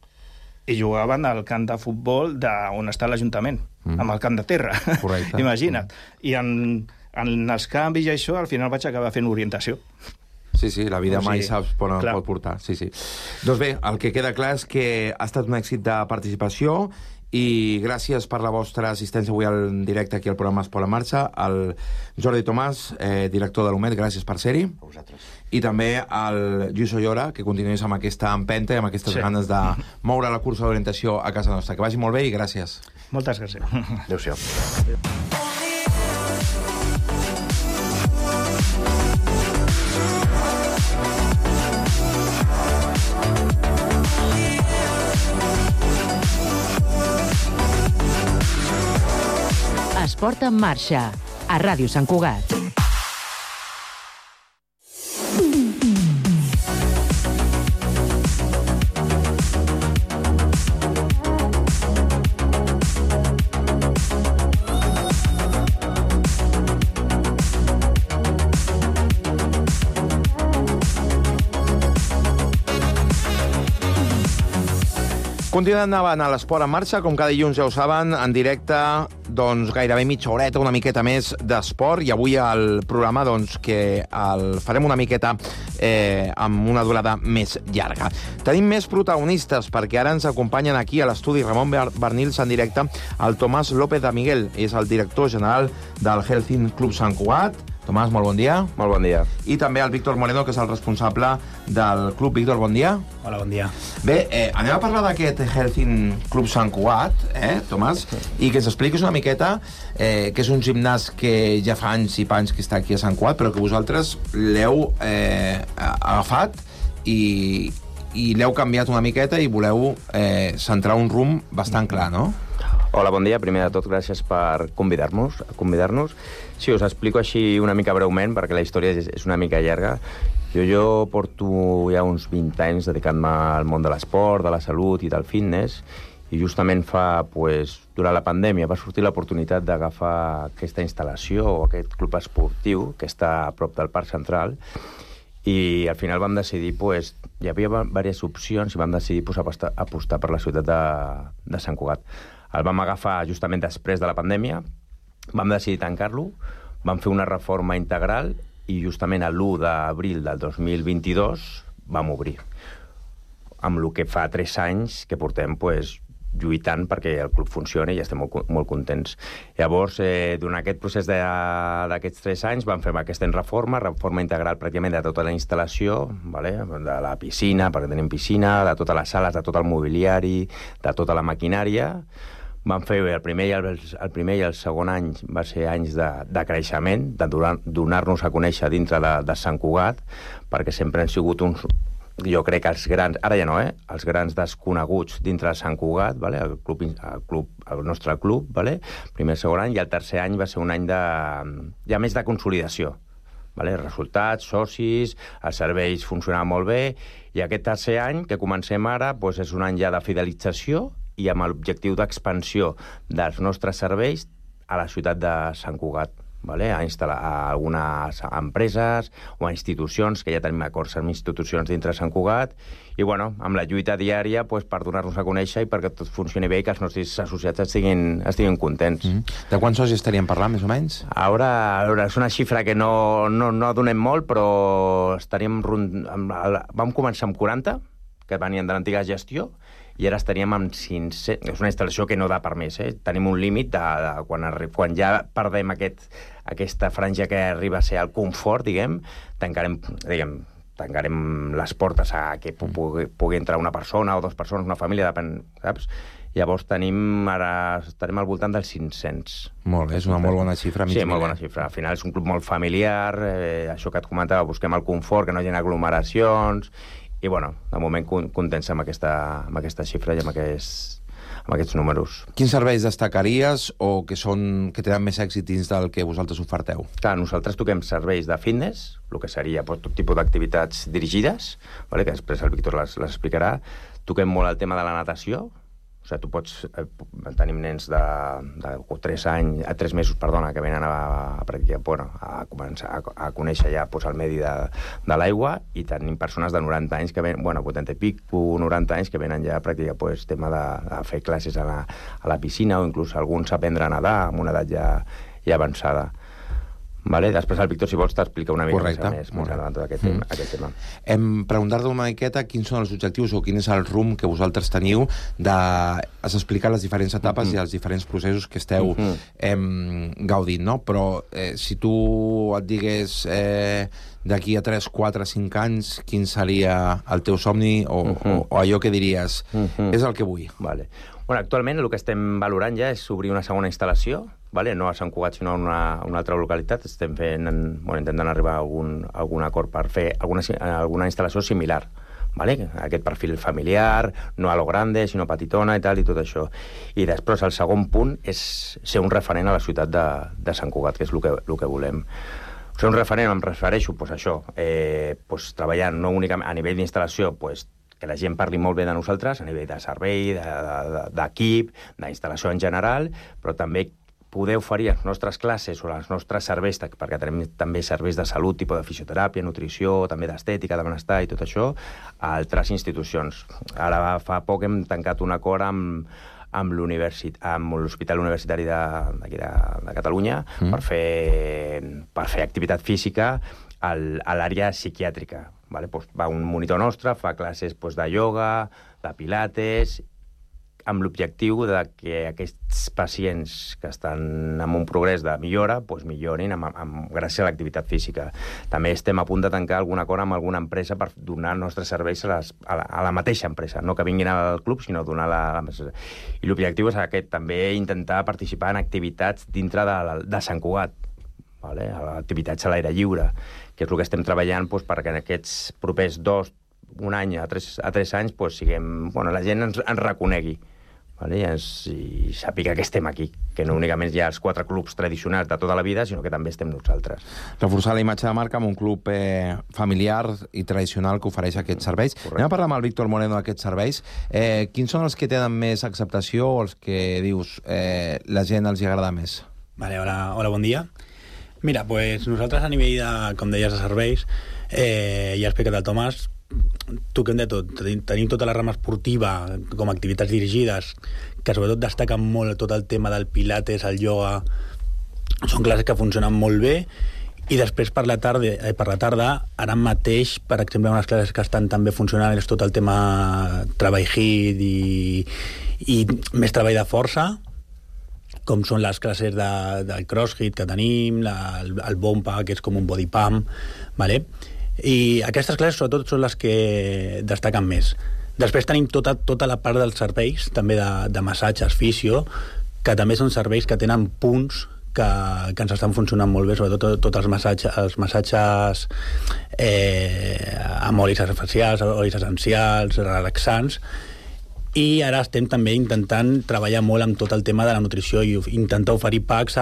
I jugaven al camp de futbol de on està l'Ajuntament, mm. amb el camp de terra. Correcte. Imagina't. I en, en els canvis i això, al final vaig acabar fent orientació. Sí, sí, la vida o sigui, mai saps on clar. pot portar. Sí, sí. Doncs bé, el que queda clar és que ha estat un èxit de participació i gràcies per la vostra assistència avui en directe aquí al programa Esport en Marxa. El Jordi Tomàs, eh, director de l'U M E D, gràcies per ser-hi. A vosaltres. I també el Lluís Ollora, que continuïs amb aquesta empenta i amb aquestes sí. ganes de moure la cursa d'orientació a casa nostra. Que vagi molt bé i gràcies. Moltes gràcies. Adéu-siau. Esport en marxa, a Ràdio Sant Cugat. Continuem endavant a l'Esport en Marxa, com cada dilluns ja ho saben, en directe, doncs gairebé mitja horeta, una miqueta més d'esport, i avui al programa doncs que el farem una miqueta eh, amb una durada més llarga. Tenim més protagonistes, perquè ara ens acompanyen aquí a l'estudi Ramon Barnils en directe el Tomàs López de Miguel, és el director general del Helsinki Club Sant Cugat. Tomàs, molt bon dia. Molt bon dia. I també el Víctor Moreno, que és el responsable del club. Víctor, bon dia. Hola, bon dia. Bé, eh, anem a parlar d'aquest Helsinki Club Sant Cugat, eh, Tomàs, i que ens expliquis una miqueta eh, que és un gimnàs que ja fa anys i panys que està aquí a Sant Cugat, però que vosaltres l'heu eh, agafat i, i l'heu canviat una miqueta i voleu eh, centrar un rumb bastant clar, no? Hola, bon dia. Primer de tot, gràcies per convidar-nos. convidar-nos. Sí, us explico així una mica breument, perquè la història és, és una mica llarga. Jo, jo porto ja uns vint anys dedicant-me al món de l'esport, de la salut i del fitness, i justament fa, pues, durant la pandèmia va sortir l'oportunitat d'agafar aquesta instal·lació o aquest club esportiu que està a prop del Parc Central, i al final vam decidir, pues, hi havia diverses opcions i vam decidir pues, apostar, apostar per la ciutat de, de Sant Cugat. El vam agafar justament després de la pandèmia, vam decidir tancar-lo, vam fer una reforma integral i justament l'u d'abril del dos mil vint-i-dos vam obrir. Amb el que fa tres anys que portem pues, lluitant perquè el club funcioni i estem molt, molt contents. Llavors, eh, durant aquest procés d'aquests tres anys vam fer aquesta reforma, reforma integral pràcticament de tota la instal·lació, vale? De la piscina, perquè tenim piscina, de totes les sales, de tot el mobiliari, de tota la maquinària. Vam fer el primer, i el, el primer i el segon any va ser anys de, de creixement, de donar-nos a conèixer dintre de, de Sant Cugat, perquè sempre han sigut uns, jo crec que els grans, ara ja no, eh? Els grans desconeguts dintre de Sant Cugat, vale? el, club, el, club, el nostre club, vale? Primer i segon any, i el tercer any va ser un any de, ja més de consolidació. Vale? Resultats, socis, els serveis funcionaven molt bé, i aquest tercer any, que comencem ara, doncs és un any ja de fidelització i amb l'objectiu d'expansió dels nostres serveis a la ciutat de Sant Cugat, vale? A instal·lar a algunes empreses o a institucions, que ja tenim acords amb institucions dintre de Sant Cugat, i bueno, amb la lluita diària pues, per donar-nos a conèixer i perquè tot funcioni bé i que els nostres associats estiguin, estiguin contents. Mm -hmm. De quants socis estaríem parlant, més o menys? Ara, ara és una xifra que no, no, no donem molt, però estaríem rund... vam començar amb quaranta, que venien de l'antiga gestió, i ara estaríem amb cinc-cents... És una instal·lació que no da per més, eh? Tenim un límit de, de quan, quan ja perdem aquest, aquesta franja que arriba a ser el confort, diguem, tancarem, diguem, tancarem les portes a que pugui, pugui entrar una persona o dues persones, una família, depèn, saps? Llavors tenim, ara estarem al voltant dels cinc-cents. Molt bé, és una molt bona xifra. Sí, molt bona xifra. Al final és un club molt familiar, eh, això que et comentava, busquem el confort, que no hi ha aglomeracions, i, bueno, de moment contents amb aquesta, amb aquesta xifra i amb aquests, amb aquests números. Quins serveis destacaries o que, són, que tenen més èxit dins del que vosaltres oferteu? Clar, nosaltres toquem serveis de fitness, el que seria pues, tot tipus d'activitats dirigides, vale? Que després el Víctor les, les explicarà. Toquem molt el tema de la natació. O sigui, tu pots... Eh, tenim nens de, de tres anys, a tres mesos, perdona, que venen a, a, a, bueno, a començar a, a conèixer ja pues, el medi de, de l'aigua, i tenim persones de noranta anys que venen, bueno, vuitanta i pic, noranta anys que venen ja a practicar pues, tema de, de fer classes a la, a la piscina, o inclús alguns aprendre a nedar amb una edat ja, ja avançada. Vale? Després el Víctor, si vols, t'explica una mica Correcte, més, més endavant tot aquest, mm. tema, aquest tema. Hem preguntat una miqueta quins són els objectius o quin és el rumb que vosaltres teniu d'explicar les diferents etapes mm-hmm. i els diferents processos que esteu mm-hmm. em, gaudint, no? Però eh, si tu et digués eh, d'aquí a tres, quatre, cinc anys, quin seria el teu somni o, mm-hmm. o, o allò que diries mm-hmm. és el que vull? Vale. Bueno, actualment el que estem valorant ja és obrir una segona instal·lació, vale? No a Sant Cugat, sinó a una, una altra localitat. Estem fent, bueno, intentant arribar a algun, a algun acord per fer alguna, alguna instal·lació similar, vale? Aquest perfil familiar, no a lo grande, sinó petitona i tal, i tot això. I després el segon punt és ser un referent a la ciutat de, de Sant Cugat, que és el que, el que volem. Ser un referent, em refereixo, pues, a això, eh, pues, treballant no únicament a nivell d'instal·lació, pues, que la gent parli molt bé de nosaltres, a nivell de servei, d'equip, de, de, d'instal·lació en general, però també poder oferir les nostres classes o els nostres serveis, perquè tenim també serveis de salut, tipus de fisioteràpia, nutrició, també d'estètica, de benestar i tot això, a altres institucions. Ara fa poc hem tancat un acord amb amb l'Hospital Universitari de, de, de Catalunya mm. per, fer, per fer activitat física al, a l'àrea psiquiàtrica. Vale? Pues va un monitor nostre, fa classes pues, de ioga, de pilates, amb l'objectiu de que aquests pacients que estan en un progrés de millora pues, millorin amb, amb, gràcies a l'activitat física. També estem a punt de tancar algun acord amb alguna empresa per donar els nostres serveis a, les, a, la, a la mateixa empresa, no que vinguin al club, sinó donar la... la I l'objectiu és aquest, també intentar participar en activitats dintre de, de Sant Cugat, vale? Activitats a l'aire lliure, que és el que estem treballant doncs, perquè en aquests propers dos, un any a tres, a tres anys, doncs, siguem, bueno, la gent ens, ens reconegui. Vale? I, ens, i sàpiga que estem aquí, que no únicament hi ha els quatre clubs tradicionals de tota la vida, sinó que també estem nosaltres. Reforçar la imatge de marca amb un club eh, familiar i tradicional que ofereix aquests serveis. Correcte. Anem a parlar amb el Víctor Moreno d'aquests serveis. Eh, quins són els que tenen més acceptació o els que, dius, eh, la gent els hi agrada més? Vale, hola, hola, bon dia. Mira, pues nosaltres a nivell de, com deies, de serveis, eh, ja ha explicat el Tomàs, toquem de tot. Tenim tota la rama esportiva com a activitats dirigides, que sobretot destaquen molt tot el tema del pilates, el ioga. Són classes que funcionen molt bé. I després per la tarda, eh, per la tarda ara mateix, per exemple, unes classes que estan també funcionant és tot el tema treball hit i, i més treball de força, com són les classes de, del crossfit que tenim, la, el, el bompa, que és com un body pump, vale? I aquestes classes sobretot són les que destaquen més. Després tenim tota, tota la part dels serveis, també de, de massatges, fisio, que també són serveis que tenen punts que, que ens estan funcionant molt bé, sobretot tots els massatges, els massatges eh, amb olis facials, olis essencials, relaxants. I ara estem també intentant treballar molt amb tot el tema de la nutrició i intentar oferir packs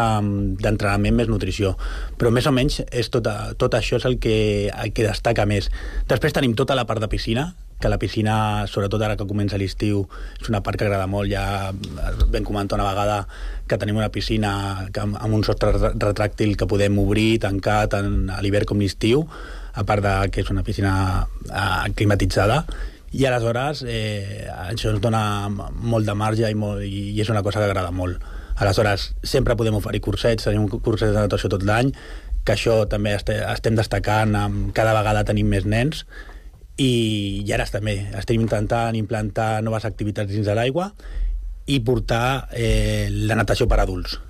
d'entrenament més nutrició. Però més o menys és tot, tot això és el que, el que destaca més. Després tenim tota la part de piscina, que la piscina, sobretot ara que comença l'estiu, és una part que agrada molt. Ja vam comentar una vegada que tenim una piscina amb, amb un sostre retràctil que podem obrir, tancar tant a l'hivern com l'estiu, a part de que és una piscina eh, climatitzada. I aleshores eh, això ens dona molt de marge i, molt, i és una cosa que agrada molt. Aleshores, sempre podem oferir cursets, tenim un curset de natació tot l'any, que això també este, estem destacant, amb, cada vegada tenim més nens, i, i ara també estem intentant implantar noves activitats dins de l'aigua i portar eh, la natació per adults.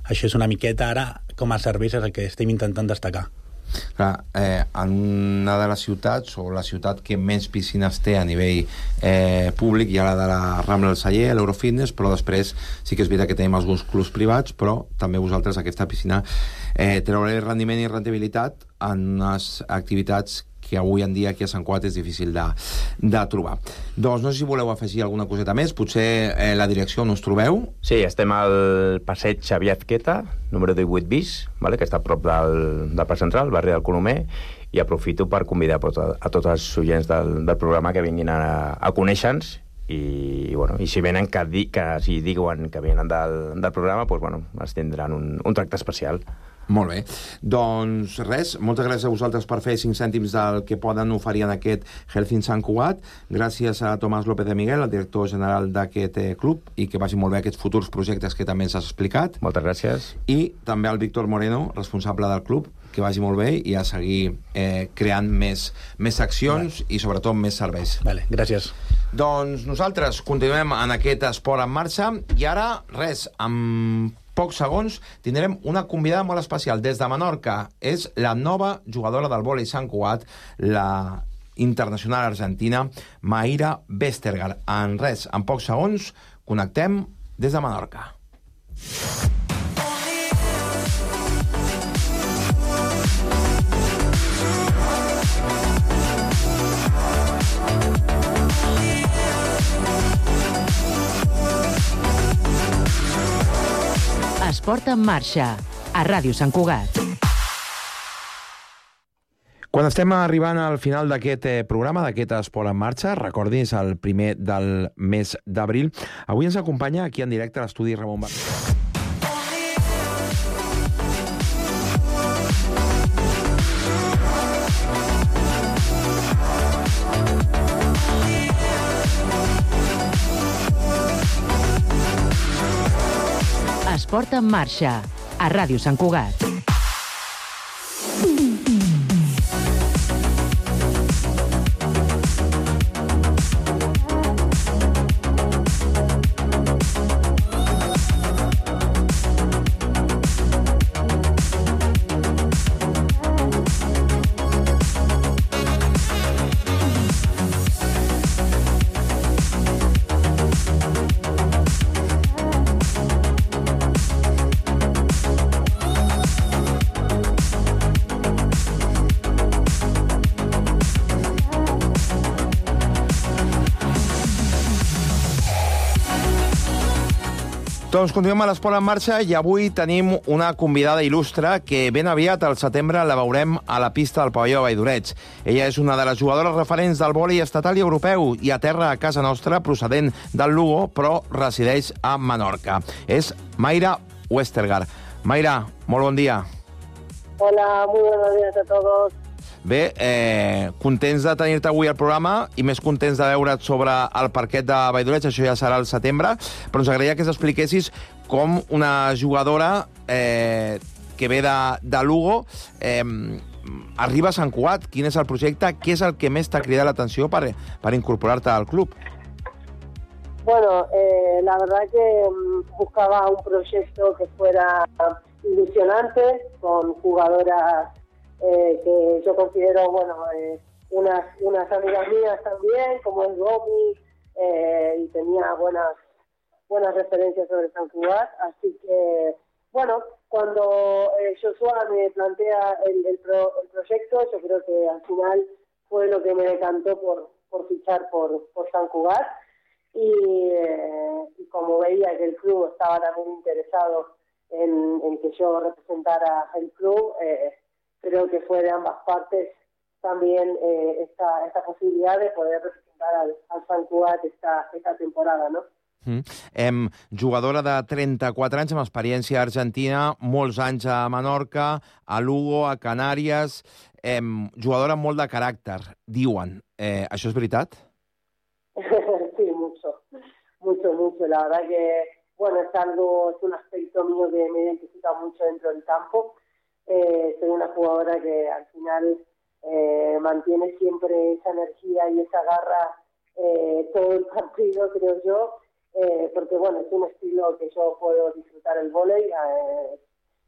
Això és una miqueta ara, com a serveis, és el que estem intentant destacar. Clar, eh, en una de les ciutats, o la ciutat que més piscines té a nivell eh, públic, hi ha la de la Rambla del Celler, l'Eurofitness, però després sí que és veritat que tenim alguns clubs privats, però també vosaltres aquesta piscina eh, treure rendiment i rendibilitat en unes activitats que avui en dia aquí a Sant Cugat és difícil de, de trobar. Doncs no sé si voleu afegir alguna coseta més, potser eh, la direcció on us trobeu. Sí, estem al passeig Xavier Azqueta, número divuit bis, vale? Que està a prop del, del Parc Central, el barri del Colomer, i aprofito per convidar a, a tots els oients del, del programa que vinguin a, a conèixer-nos i, bueno, i si venen que, di, que si diuen que venen del, del programa, doncs, bueno, es tindran un, un tracte especial. Molt bé. Doncs res, moltes gràcies a vosaltres per fer cinc cèntims del que poden oferir en aquest Health in Sant Cugat. Gràcies a Tomàs López de Miguel, el director general d'aquest eh, club, i que vagi molt bé aquests futurs projectes que també ens has explicat. Moltes gràcies. I també al Víctor Moreno, responsable del club, que vagi molt bé i a seguir eh, creant més, més accions vale. I sobretot més serveis. Vale, gràcies. Doncs nosaltres continuem en aquest esport en marxa i ara, res, amb pocs segons tindrem una convidada molt especial des de Menorca. És la nova jugadora del vòlei Sant Cugat, la internacional argentina Mayra Vestergaard. En res, en pocs segons connectem des de Menorca. Esport en marxa, a Ràdio Sant Cugat. Quan estem arribant al final d'aquest eh, programa, d'aquest Esport en marxa, recordi, és el primer del mes d'abril. Avui ens acompanya aquí en directe a l'estudi Ramon Barcelona. Esport en marxa, a Ràdio Sant Cugat. Doncs continuem a l'Esport en marxa i avui tenim una convidada il·lustre que ben aviat, al setembre, la veurem a la pista del pavelló de Valldoreig. Ella és una de les jugadores referents del vòlei estatal i europeu i aterra a casa nostra procedent del Lugo, però resideix a Menorca. És Mayra Westergaard. Mayra, molt bon dia. Hola, muy buenos días a todos. Bé, eh, contents de tenir-te avui al programa i més contents de veure't sobre el parquet de Valldoreig, això ja serà al setembre, però ens agradaria que ens expliquessis com una jugadora eh, que ve de, de Lugo eh, arriba a Sant Cugat. Quin és el projecte? Què és el que més t'ha cridat l'atenció per, per incorporar-te al club? Bueno, eh, la verdad que buscaba un proyecto que fuera ilusionante, con jugadoras Eh, que yo considero, bueno, eh, unas, unas amigas mías también, como es Gomi, eh, y tenía buenas buenas referencias sobre Sant Cugat, así que, bueno, cuando eh, Joshua me plantea el, el, pro, el proyecto, yo creo que al final fue lo que me decantó por, por fichar por, por Sant Cugat, y, eh, y como veía que el club estaba también interesado en, en que yo representara el club, eh, creo que fue de ambas partes también eh, esta, esta posibilidad de poder representar al, al Sant Cugat esta, esta temporada, ¿no? Mm. Em, jugadora de trenta-quatre anys amb experiència a Argentina, molts anys a Menorca, a Lugo, a Canàries, em, jugadora amb molt de caràcter, diuen. Eh, això és veritat? Sí, mucho, mucho, mucho. La verdad que, bueno, es algo, es un aspecto mío que me identifica mucho dentro del campo. Eh, soy una jugadora que al final eh, mantiene siempre esa energía y esa garra eh, todo el partido, creo yo, eh, porque bueno, es un estilo que yo puedo disfrutar el vóley, eh,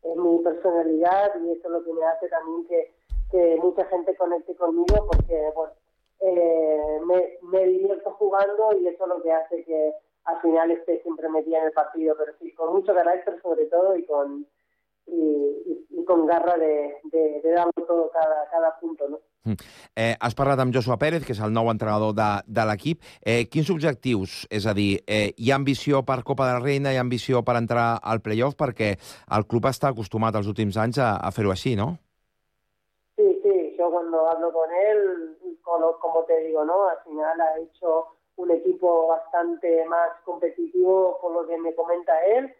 es mi personalidad y eso es lo que me hace también que, que mucha gente conecte conmigo, porque bueno, eh, me, me divierto jugando y eso es lo que hace que al final esté siempre metida en el partido, pero sí, con mucho carácter sobre todo y con I, i, i con garra de, de, de dar todo cada, cada punto, no? Mm. Eh, has parlat amb Joshua Pérez, que és el nou entrenador de, de l'equip. Eh, quins objectius? És a dir, eh, hi ha ambició per Copa de la Reina, hi ha ambició per entrar al playoff, perquè el club està acostumat els últims anys a, a fer-ho així, ¿no? Sí, sí, yo cuando hablo con él, como, como te digo, ¿no? Al final ha hecho un equipo bastante más competitivo por lo que me comenta él.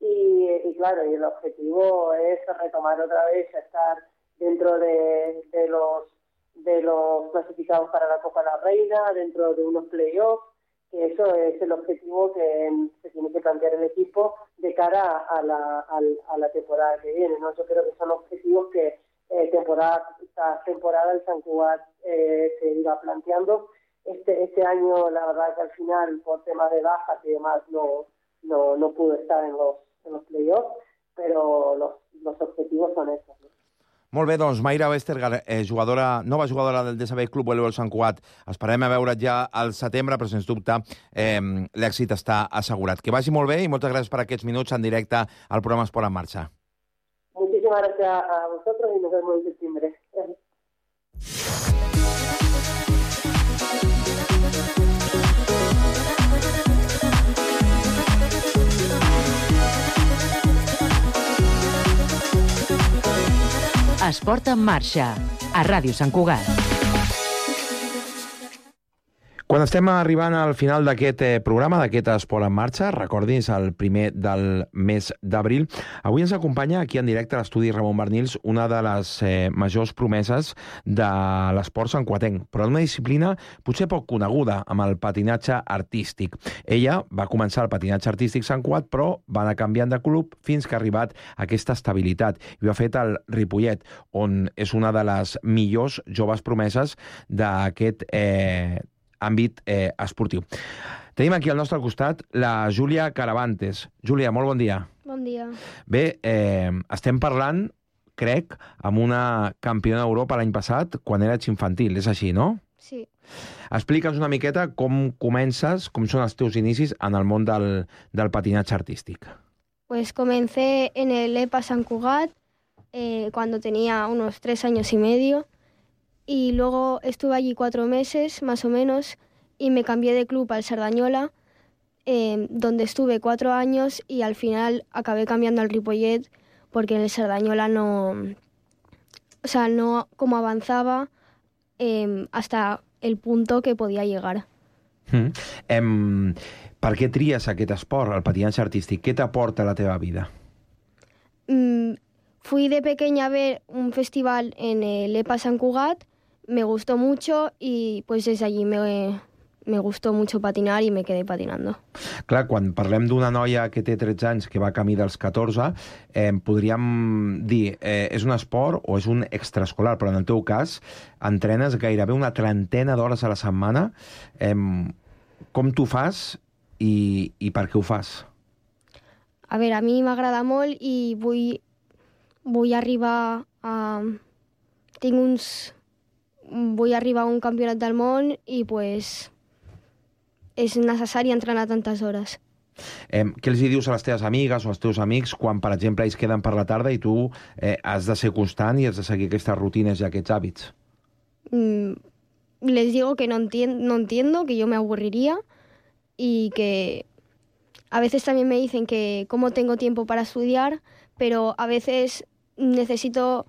Y, y claro, y el objetivo es retomar otra vez a estar dentro de, de los de los clasificados para la Copa de la Reina, dentro de unos playoffs, que eso es el objetivo que se tiene que plantear el equipo de cara a la, a, a la temporada que viene, ¿no? Yo creo que son objetivos que eh, temporada esta temporada el Sant Cugat eh, se iba planteando. Este, este año, la verdad que al final, por temas de bajas y demás, no, no, no pudo estar en los en los playoffs, però los, los objetivos son esos, no? Molt bé, doncs, Mayra Westergaard, eh, jugadora, nova jugadora del D S B Club Voleibol Sant Cugat. Esperem a veure't ja al setembre, però sens dubte eh, l'èxit està assegurat. Que vagi molt bé i moltes gràcies per aquests minuts en directe al programa Esport en Marxa. Muchísimas gracias a vosotros y nos vemos en septiembre. Esport en marxa, a Ràdio Sant Cugat. Quan estem arribant al final d'aquest eh, programa, d'aquest Esport en Marxa, recordis el primer del mes d'abril, avui ens acompanya aquí en directe a l'estudi Ramon Barnils una de les eh, majors promeses de l'esport santcuatenc, però en una disciplina potser poc coneguda, amb el patinatge artístic. Ella va començar el patinatge artístic Sant Cugat, però va anar canviant de club fins que ha arribat a aquesta estabilitat. I ho ha fet al Ripollet, on és una de les millors joves promeses d'aquest eh, àmbit eh, esportiu. Tenim aquí al nostre costat la Júlia Caravantes. Júlia, molt bon dia. Bon dia. Bé, eh, estem parlant, crec, amb una campiona d'Europa l'any passat, quan eres infantil, és així, no? Sí. Explica'ns una miqueta com comences, com són els teus inicis en el món del, del patinatge artístic. Pues comencé en el E P A Sant Cugat eh, cuando tenía unos tres años y medio. Y luego estuve allí cuatro meses, más o menos, y me cambié de club al Cerdañola, eh, donde estuve cuatro años y al final acabé cambiando al Ripollet porque en el Cerdañola no... O sea, no como avanzaba eh, hasta el punto que podía llegar. Mm. Em, per què tries aquest esport, el patinatge artístic? Què t'aporta a la teva vida? Mm, fui de pequeña a ver un festival en el E P A Sant Cugat. Me gustó mucho y pues desde allí me, me gustó mucho patinar y me quedé patinando. Clar, quan parlem d'una noia que té tretze anys que va camí dels catorze, eh, podríem dir, eh, és un esport o és un extraescolar, però en el teu cas entrenes gairebé una trentena d'hores a la setmana. Eh, com t'ho fas i, i per què ho fas? A veure, a mi m'agrada molt i vull, vull arribar a... Tinc uns... Vull arribar a un campionat del món i pues, és necessari entrenar tantes hores. Eh, què els hi dius a les teves amigues o als teus amics quan, per exemple, ells queden per la tarda i tu eh, has de ser constant i has de seguir aquestes rutines i aquests hàbits? Mm, les digo que no, entien no entiendo, que yo me aburriría y que a veces también me dicen que cómo tengo tiempo para estudiar, pero a veces necesito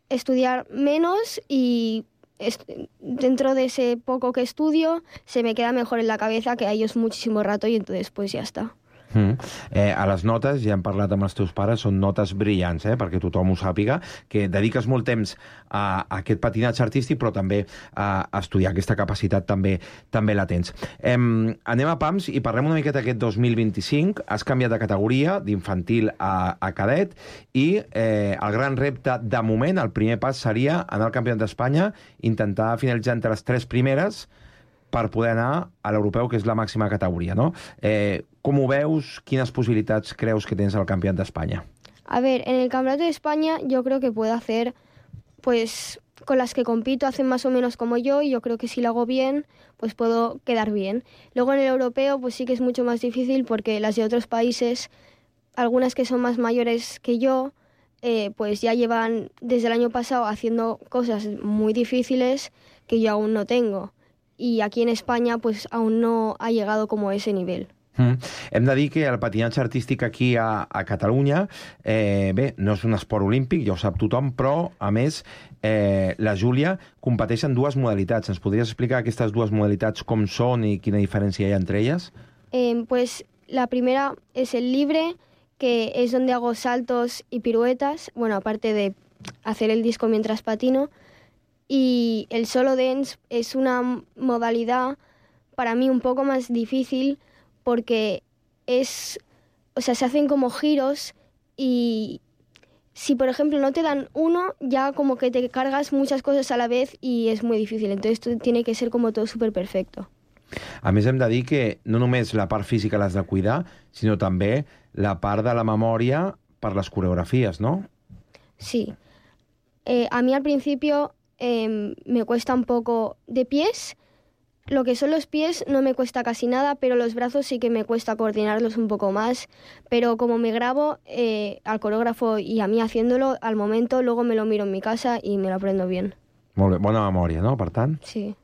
estudiar menos y dentro de ese poco que estudio se me queda mejor en la cabeza que a ellos muchísimo rato y entonces pues ya está. Mm. Eh, a les notes, ja hem parlat amb els teus pares, són notes brillants, eh, perquè tothom ho sàpiga, que dediques molt temps a, a aquest patinatge artístic, però també a, a estudiar. Aquesta capacitat també també la tens. Eh, anem a Pams i parlem una miqueta d'aquest dos mil vint-i-cinc. Has canviat de categoria, d'infantil a, a cadet, i eh, el gran repte, de moment, el primer pas seria anar al Campionat d'Espanya, intentar finalitzar entre les tres primeres per poder anar a l'europeu, que és la màxima categoria, ¿no? Eh, com ho veus? Quines possibilitats creus que tens al Campionat d'Espanya? A ver, en el Campeonato de España yo creo que puedo hacer, pues, con las que compito hacen más o menos como yo y yo creo que si lo hago bien, pues puedo quedar bien. Luego en el europeo, pues sí que es mucho más difícil porque las de otros países, algunas que son más mayores que yo, eh, pues ya llevan desde el año pasado haciendo cosas muy difíciles que yo aún no tengo. Y aquí en España pues aún no ha llegado como a ese nivel. Mm. Hem de dir que el patinatge artístic aquí a, a Catalunya, eh, bé, no és un esport olímpic, ja ho sap tothom, però, a més, eh, la Júlia competeix en dues modalitats. Ens podries explicar aquestes dues modalitats com són i quina diferència hi ha entre elles? Eh, pues la primera es el libre, que es donde hago saltos y piruetas, bueno, aparte de hacer el disco mientras patino. Y el solo dance es una modalidad para mí un poco más difícil porque es, o sea, se hacen como giros y si por ejemplo no te dan uno, ya como que te cargas muchas cosas a la vez y es muy difícil. Entonces tiene que ser como todo súper perfecto. A més, hem de dir que no només la part física l'has de cuidar, sinó també la part de la memòria per les coreografies, ¿no? Sí. Eh, a mí al principio... Eh, me cuesta un poco de pies. Lo que son los pies no me cuesta casi nada, pero los brazos sí que me cuesta coordinarlos un poco más. Pero como me grabo eh, al coreógrafo y a mí haciéndolo, al momento luego me lo miro en mi casa y me lo aprendo bien. Molt bé, bona memòria, no?, per tant? Sí.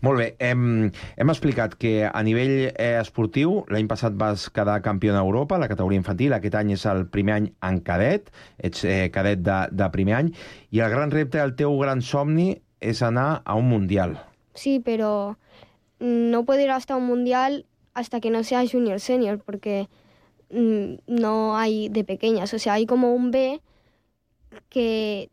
Molt bé, hem, hem explicat que a nivell eh, esportiu l'any passat vas quedar campió d'Europa a la categoria infantil, aquest any és el primer any en cadet, ets eh, cadet de, de primer any, i el gran repte, el teu gran somni, és anar a un mundial. Sí, pero no puedo ir hasta un mundial hasta que no sea junior senior, porque mmm, no hay de pequeñas. O sea, hay como un B que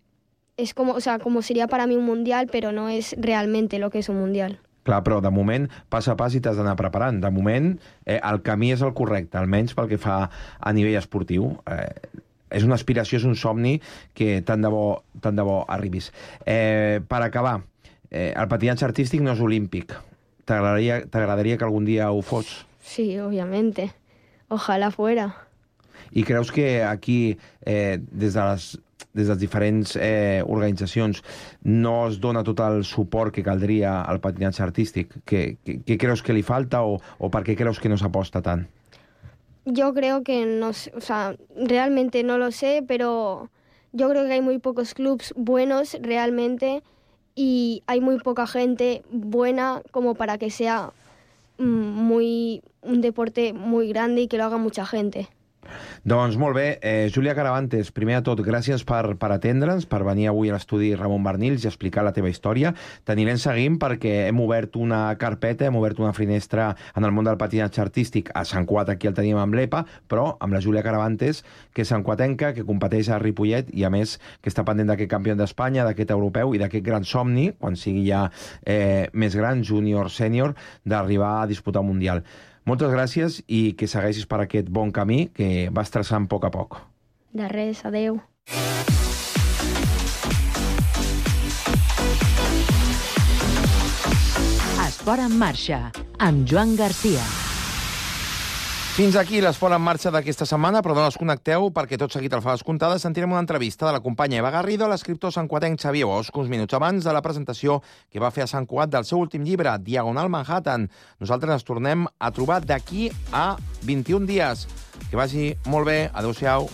es como, o sea, como sería para mí un mundial, pero no es realmente lo que es un mundial. Clar, però de moment, pas a pas i t'has d'anar preparant. De moment, eh, el camí és el correcte, almenys pel que fa a nivell esportiu. Eh, és una aspiració, és un somni que tant de bo, tant de bo arribis. Eh, per acabar, eh, el patinatge artístic no és olímpic. T'agradaria t'agradaria que algun dia ho fos? Sí, obviamente. Ojalá fuera. I creus que aquí, eh, des de les des de les diferents eh, organitzacions, no es dona tot el suport que caldria al patinatge artístic? Què, què, què creus que li falta o, o per què creus que no s'aposta tant? Yo creo que no sé, o sea, realmente no lo sé, pero yo creo que hay muy pocos clubs buenos realmente y hay muy poca gente buena como para que sea muy un deporte muy grande y que lo haga mucha gente. Doncs molt bé, eh, Júlia Caravantes, primer de tot, gràcies per, per atendre'ns, per venir avui a l'estudi Ramon Barnils i explicar la teva història. T'anirem seguint perquè hem obert una carpeta, hem obert una finestra en el món del patinatge artístic. A Sant Cugat aquí el tenim amb l'E P A, però amb la Júlia Caravantes, que és santcuatenca, que competeix a Ripollet i, a més, que està pendent d'aquest campió d'Espanya, d'aquest europeu i d'aquest gran somni, quan sigui ja eh, més gran, júnior, sènior, d'arribar a disputar un mundial. Moltes gràcies i que segueixis per aquest bon camí que vas traçant a poc a poc. De res, adeu. Esport en marxa, amb Joan Garcia. Fins aquí l'Esport en marxa d'aquesta setmana, però no us connecteu perquè tot seguit al Faves Comptades sentirem una entrevista de la companya Eva Garrido a l'escriptor santcuatenc Xavier Bosch, uns minuts abans de la presentació que va fer a Sant Cugat del seu últim llibre, Diagonal Manhattan. Nosaltres ens tornem a trobar d'aquí a vint-i-un dies. Que vagi molt bé. Adéu-siau.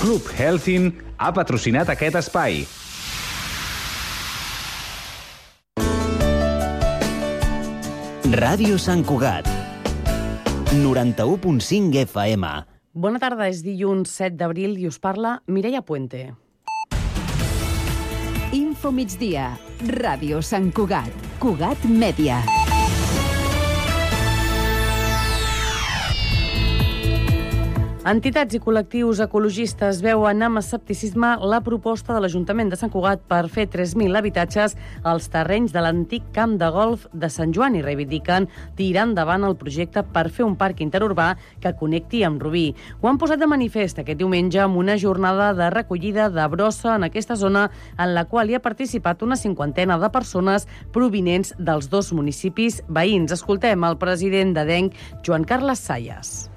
Club Helsin ha patrocinat aquest espai. Ràdio Sant Cugat, noranta-u punt cinc F M. Bona tarda, és dilluns set d'abril i us parla Mireia Puente. Info migdia, Ràdio Sant Cugat, Cugat Mèdia. Entitats i col·lectius ecologistes veuen amb escepticisme la proposta de l'Ajuntament de Sant Cugat per fer tres mil habitatges als terrenys de l'antic camp de golf de Sant Joan i reivindiquen tirar endavant el projecte per fer un parc interurbà que connecti amb Rubí. Ho han posat de manifest aquest diumenge amb una jornada de recollida de brossa en aquesta zona en la qual hi ha participat una cinquantena de persones provinents dels dos municipis veïns. Escoltem el president d'Adenc, Joan Carles Sayas.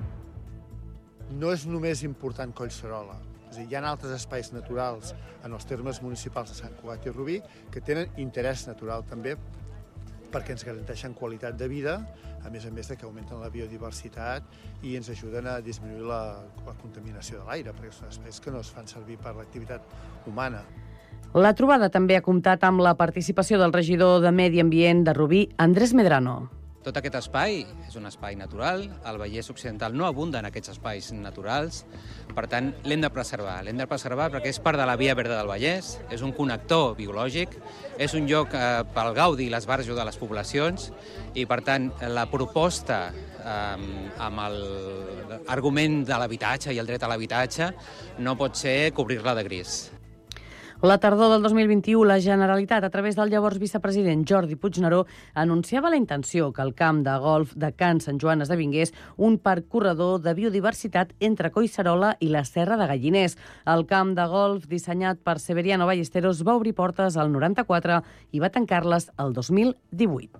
No és només important Collserola. És a dir, hi ha altres espais naturals en els termes municipals de Sant Cugat i Rubí que tenen interès natural també perquè ens garanteixen qualitat de vida, a més a més de que augmenten la biodiversitat i ens ajuden a disminuir la, la contaminació de l'aire, perquè són espais que no es fan servir per l'activitat humana. La trobada també ha comptat amb la participació del regidor de Medi Ambient de Rubí, Andrés Medrano. Tot aquest espai és un espai natural, el Vallès Occidental no abunda en aquests espais naturals, per tant l'hem de preservar. L'hem de preservar perquè és part de la Via Verda del Vallès, és un connector biològic, és un lloc eh, pel gaudi i l'esbarjo de les poblacions i per tant la proposta eh, amb l'argument de l'habitatge i el dret a l'habitatge no pot ser cobrir-la de gris. La tardor del dos mil vint-i-u, la Generalitat, a través del llavors vicepresident Jordi Puigneró, anunciava la intenció que el camp de golf de Can Sant Joan esdevingués un parc corredor de biodiversitat entre Collserola i la Serra de Galliners. El camp de golf, dissenyat per Severiano Ballesteros, va obrir portes al noranta-quatre i va tancar-les el dos mil divuit.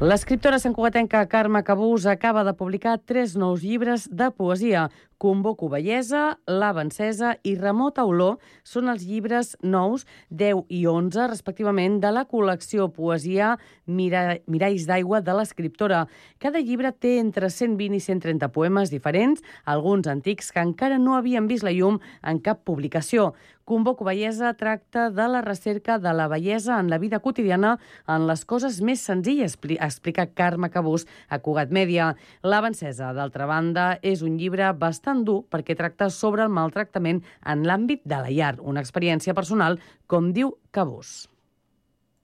L'escriptora santcugatenca Carme Cabús acaba de publicar tres nous llibres de poesia. Convoco bellesa, Lava encesa i Remota olor són els llibres nous deu i onze, respectivament, de la col·lecció Poesia Mira... Miralls d'aigua de l'escriptora. Cada llibre té entre cent vint i cent trenta poemes diferents, alguns antics que encara no havien vist la llum en cap publicació. Convoco bellesa tracta de la recerca de la bellesa en la vida quotidiana en les coses més senzilles, explica Carme Cabús a Cugat Mèdia. Lava encesa, d'altra banda, és un llibre bastant dur perquè tracta sobre el maltractament en l'àmbit de la llar, una experiència personal, com diu Cabús.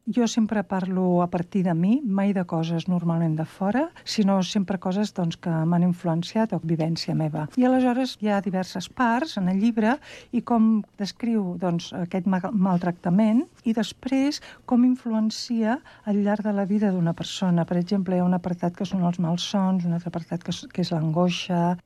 Jo sempre parlo a partir de mi, mai de coses normalment de fora, sinó sempre coses doncs, que m'han influenciat o vivència meva. I aleshores hi ha diverses parts en el llibre i com descriu doncs, aquest maltractament i després com influencia al llarg de la vida d'una persona. Per exemple, hi ha un apartat que són els malsons, un altre apartat que és, que és l'angoixa.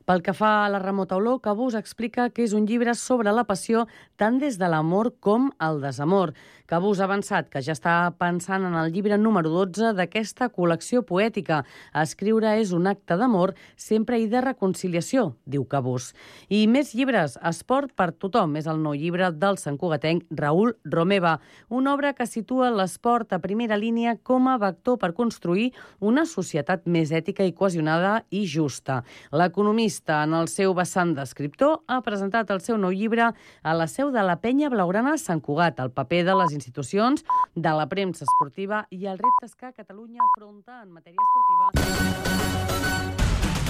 Pel que fa a la Remota olor, Cabús explica que és un llibre sobre la passió tant des de l'amor com el desamor. Cabús ha avançat que ja està pensant en el llibre número dotze d'aquesta col·lecció poètica. Escriure és un acte d'amor, sempre i de reconciliació, diu Cabús. I més llibres. Esport per tothom és el nou llibre del santcugatenc Raül Romeva, una obra que situa l'esport a primera línia com a vector per construir una societat més ètica i cohesionada i justa. L'economista, en el seu vessant d'escriptor, ha presentat el seu nou llibre a la seu de la Penya Blaugrana Sant Cugat, el paper de les institucions, de la premsa esportiva i els reptes que Catalunya afronta en matèria esportiva.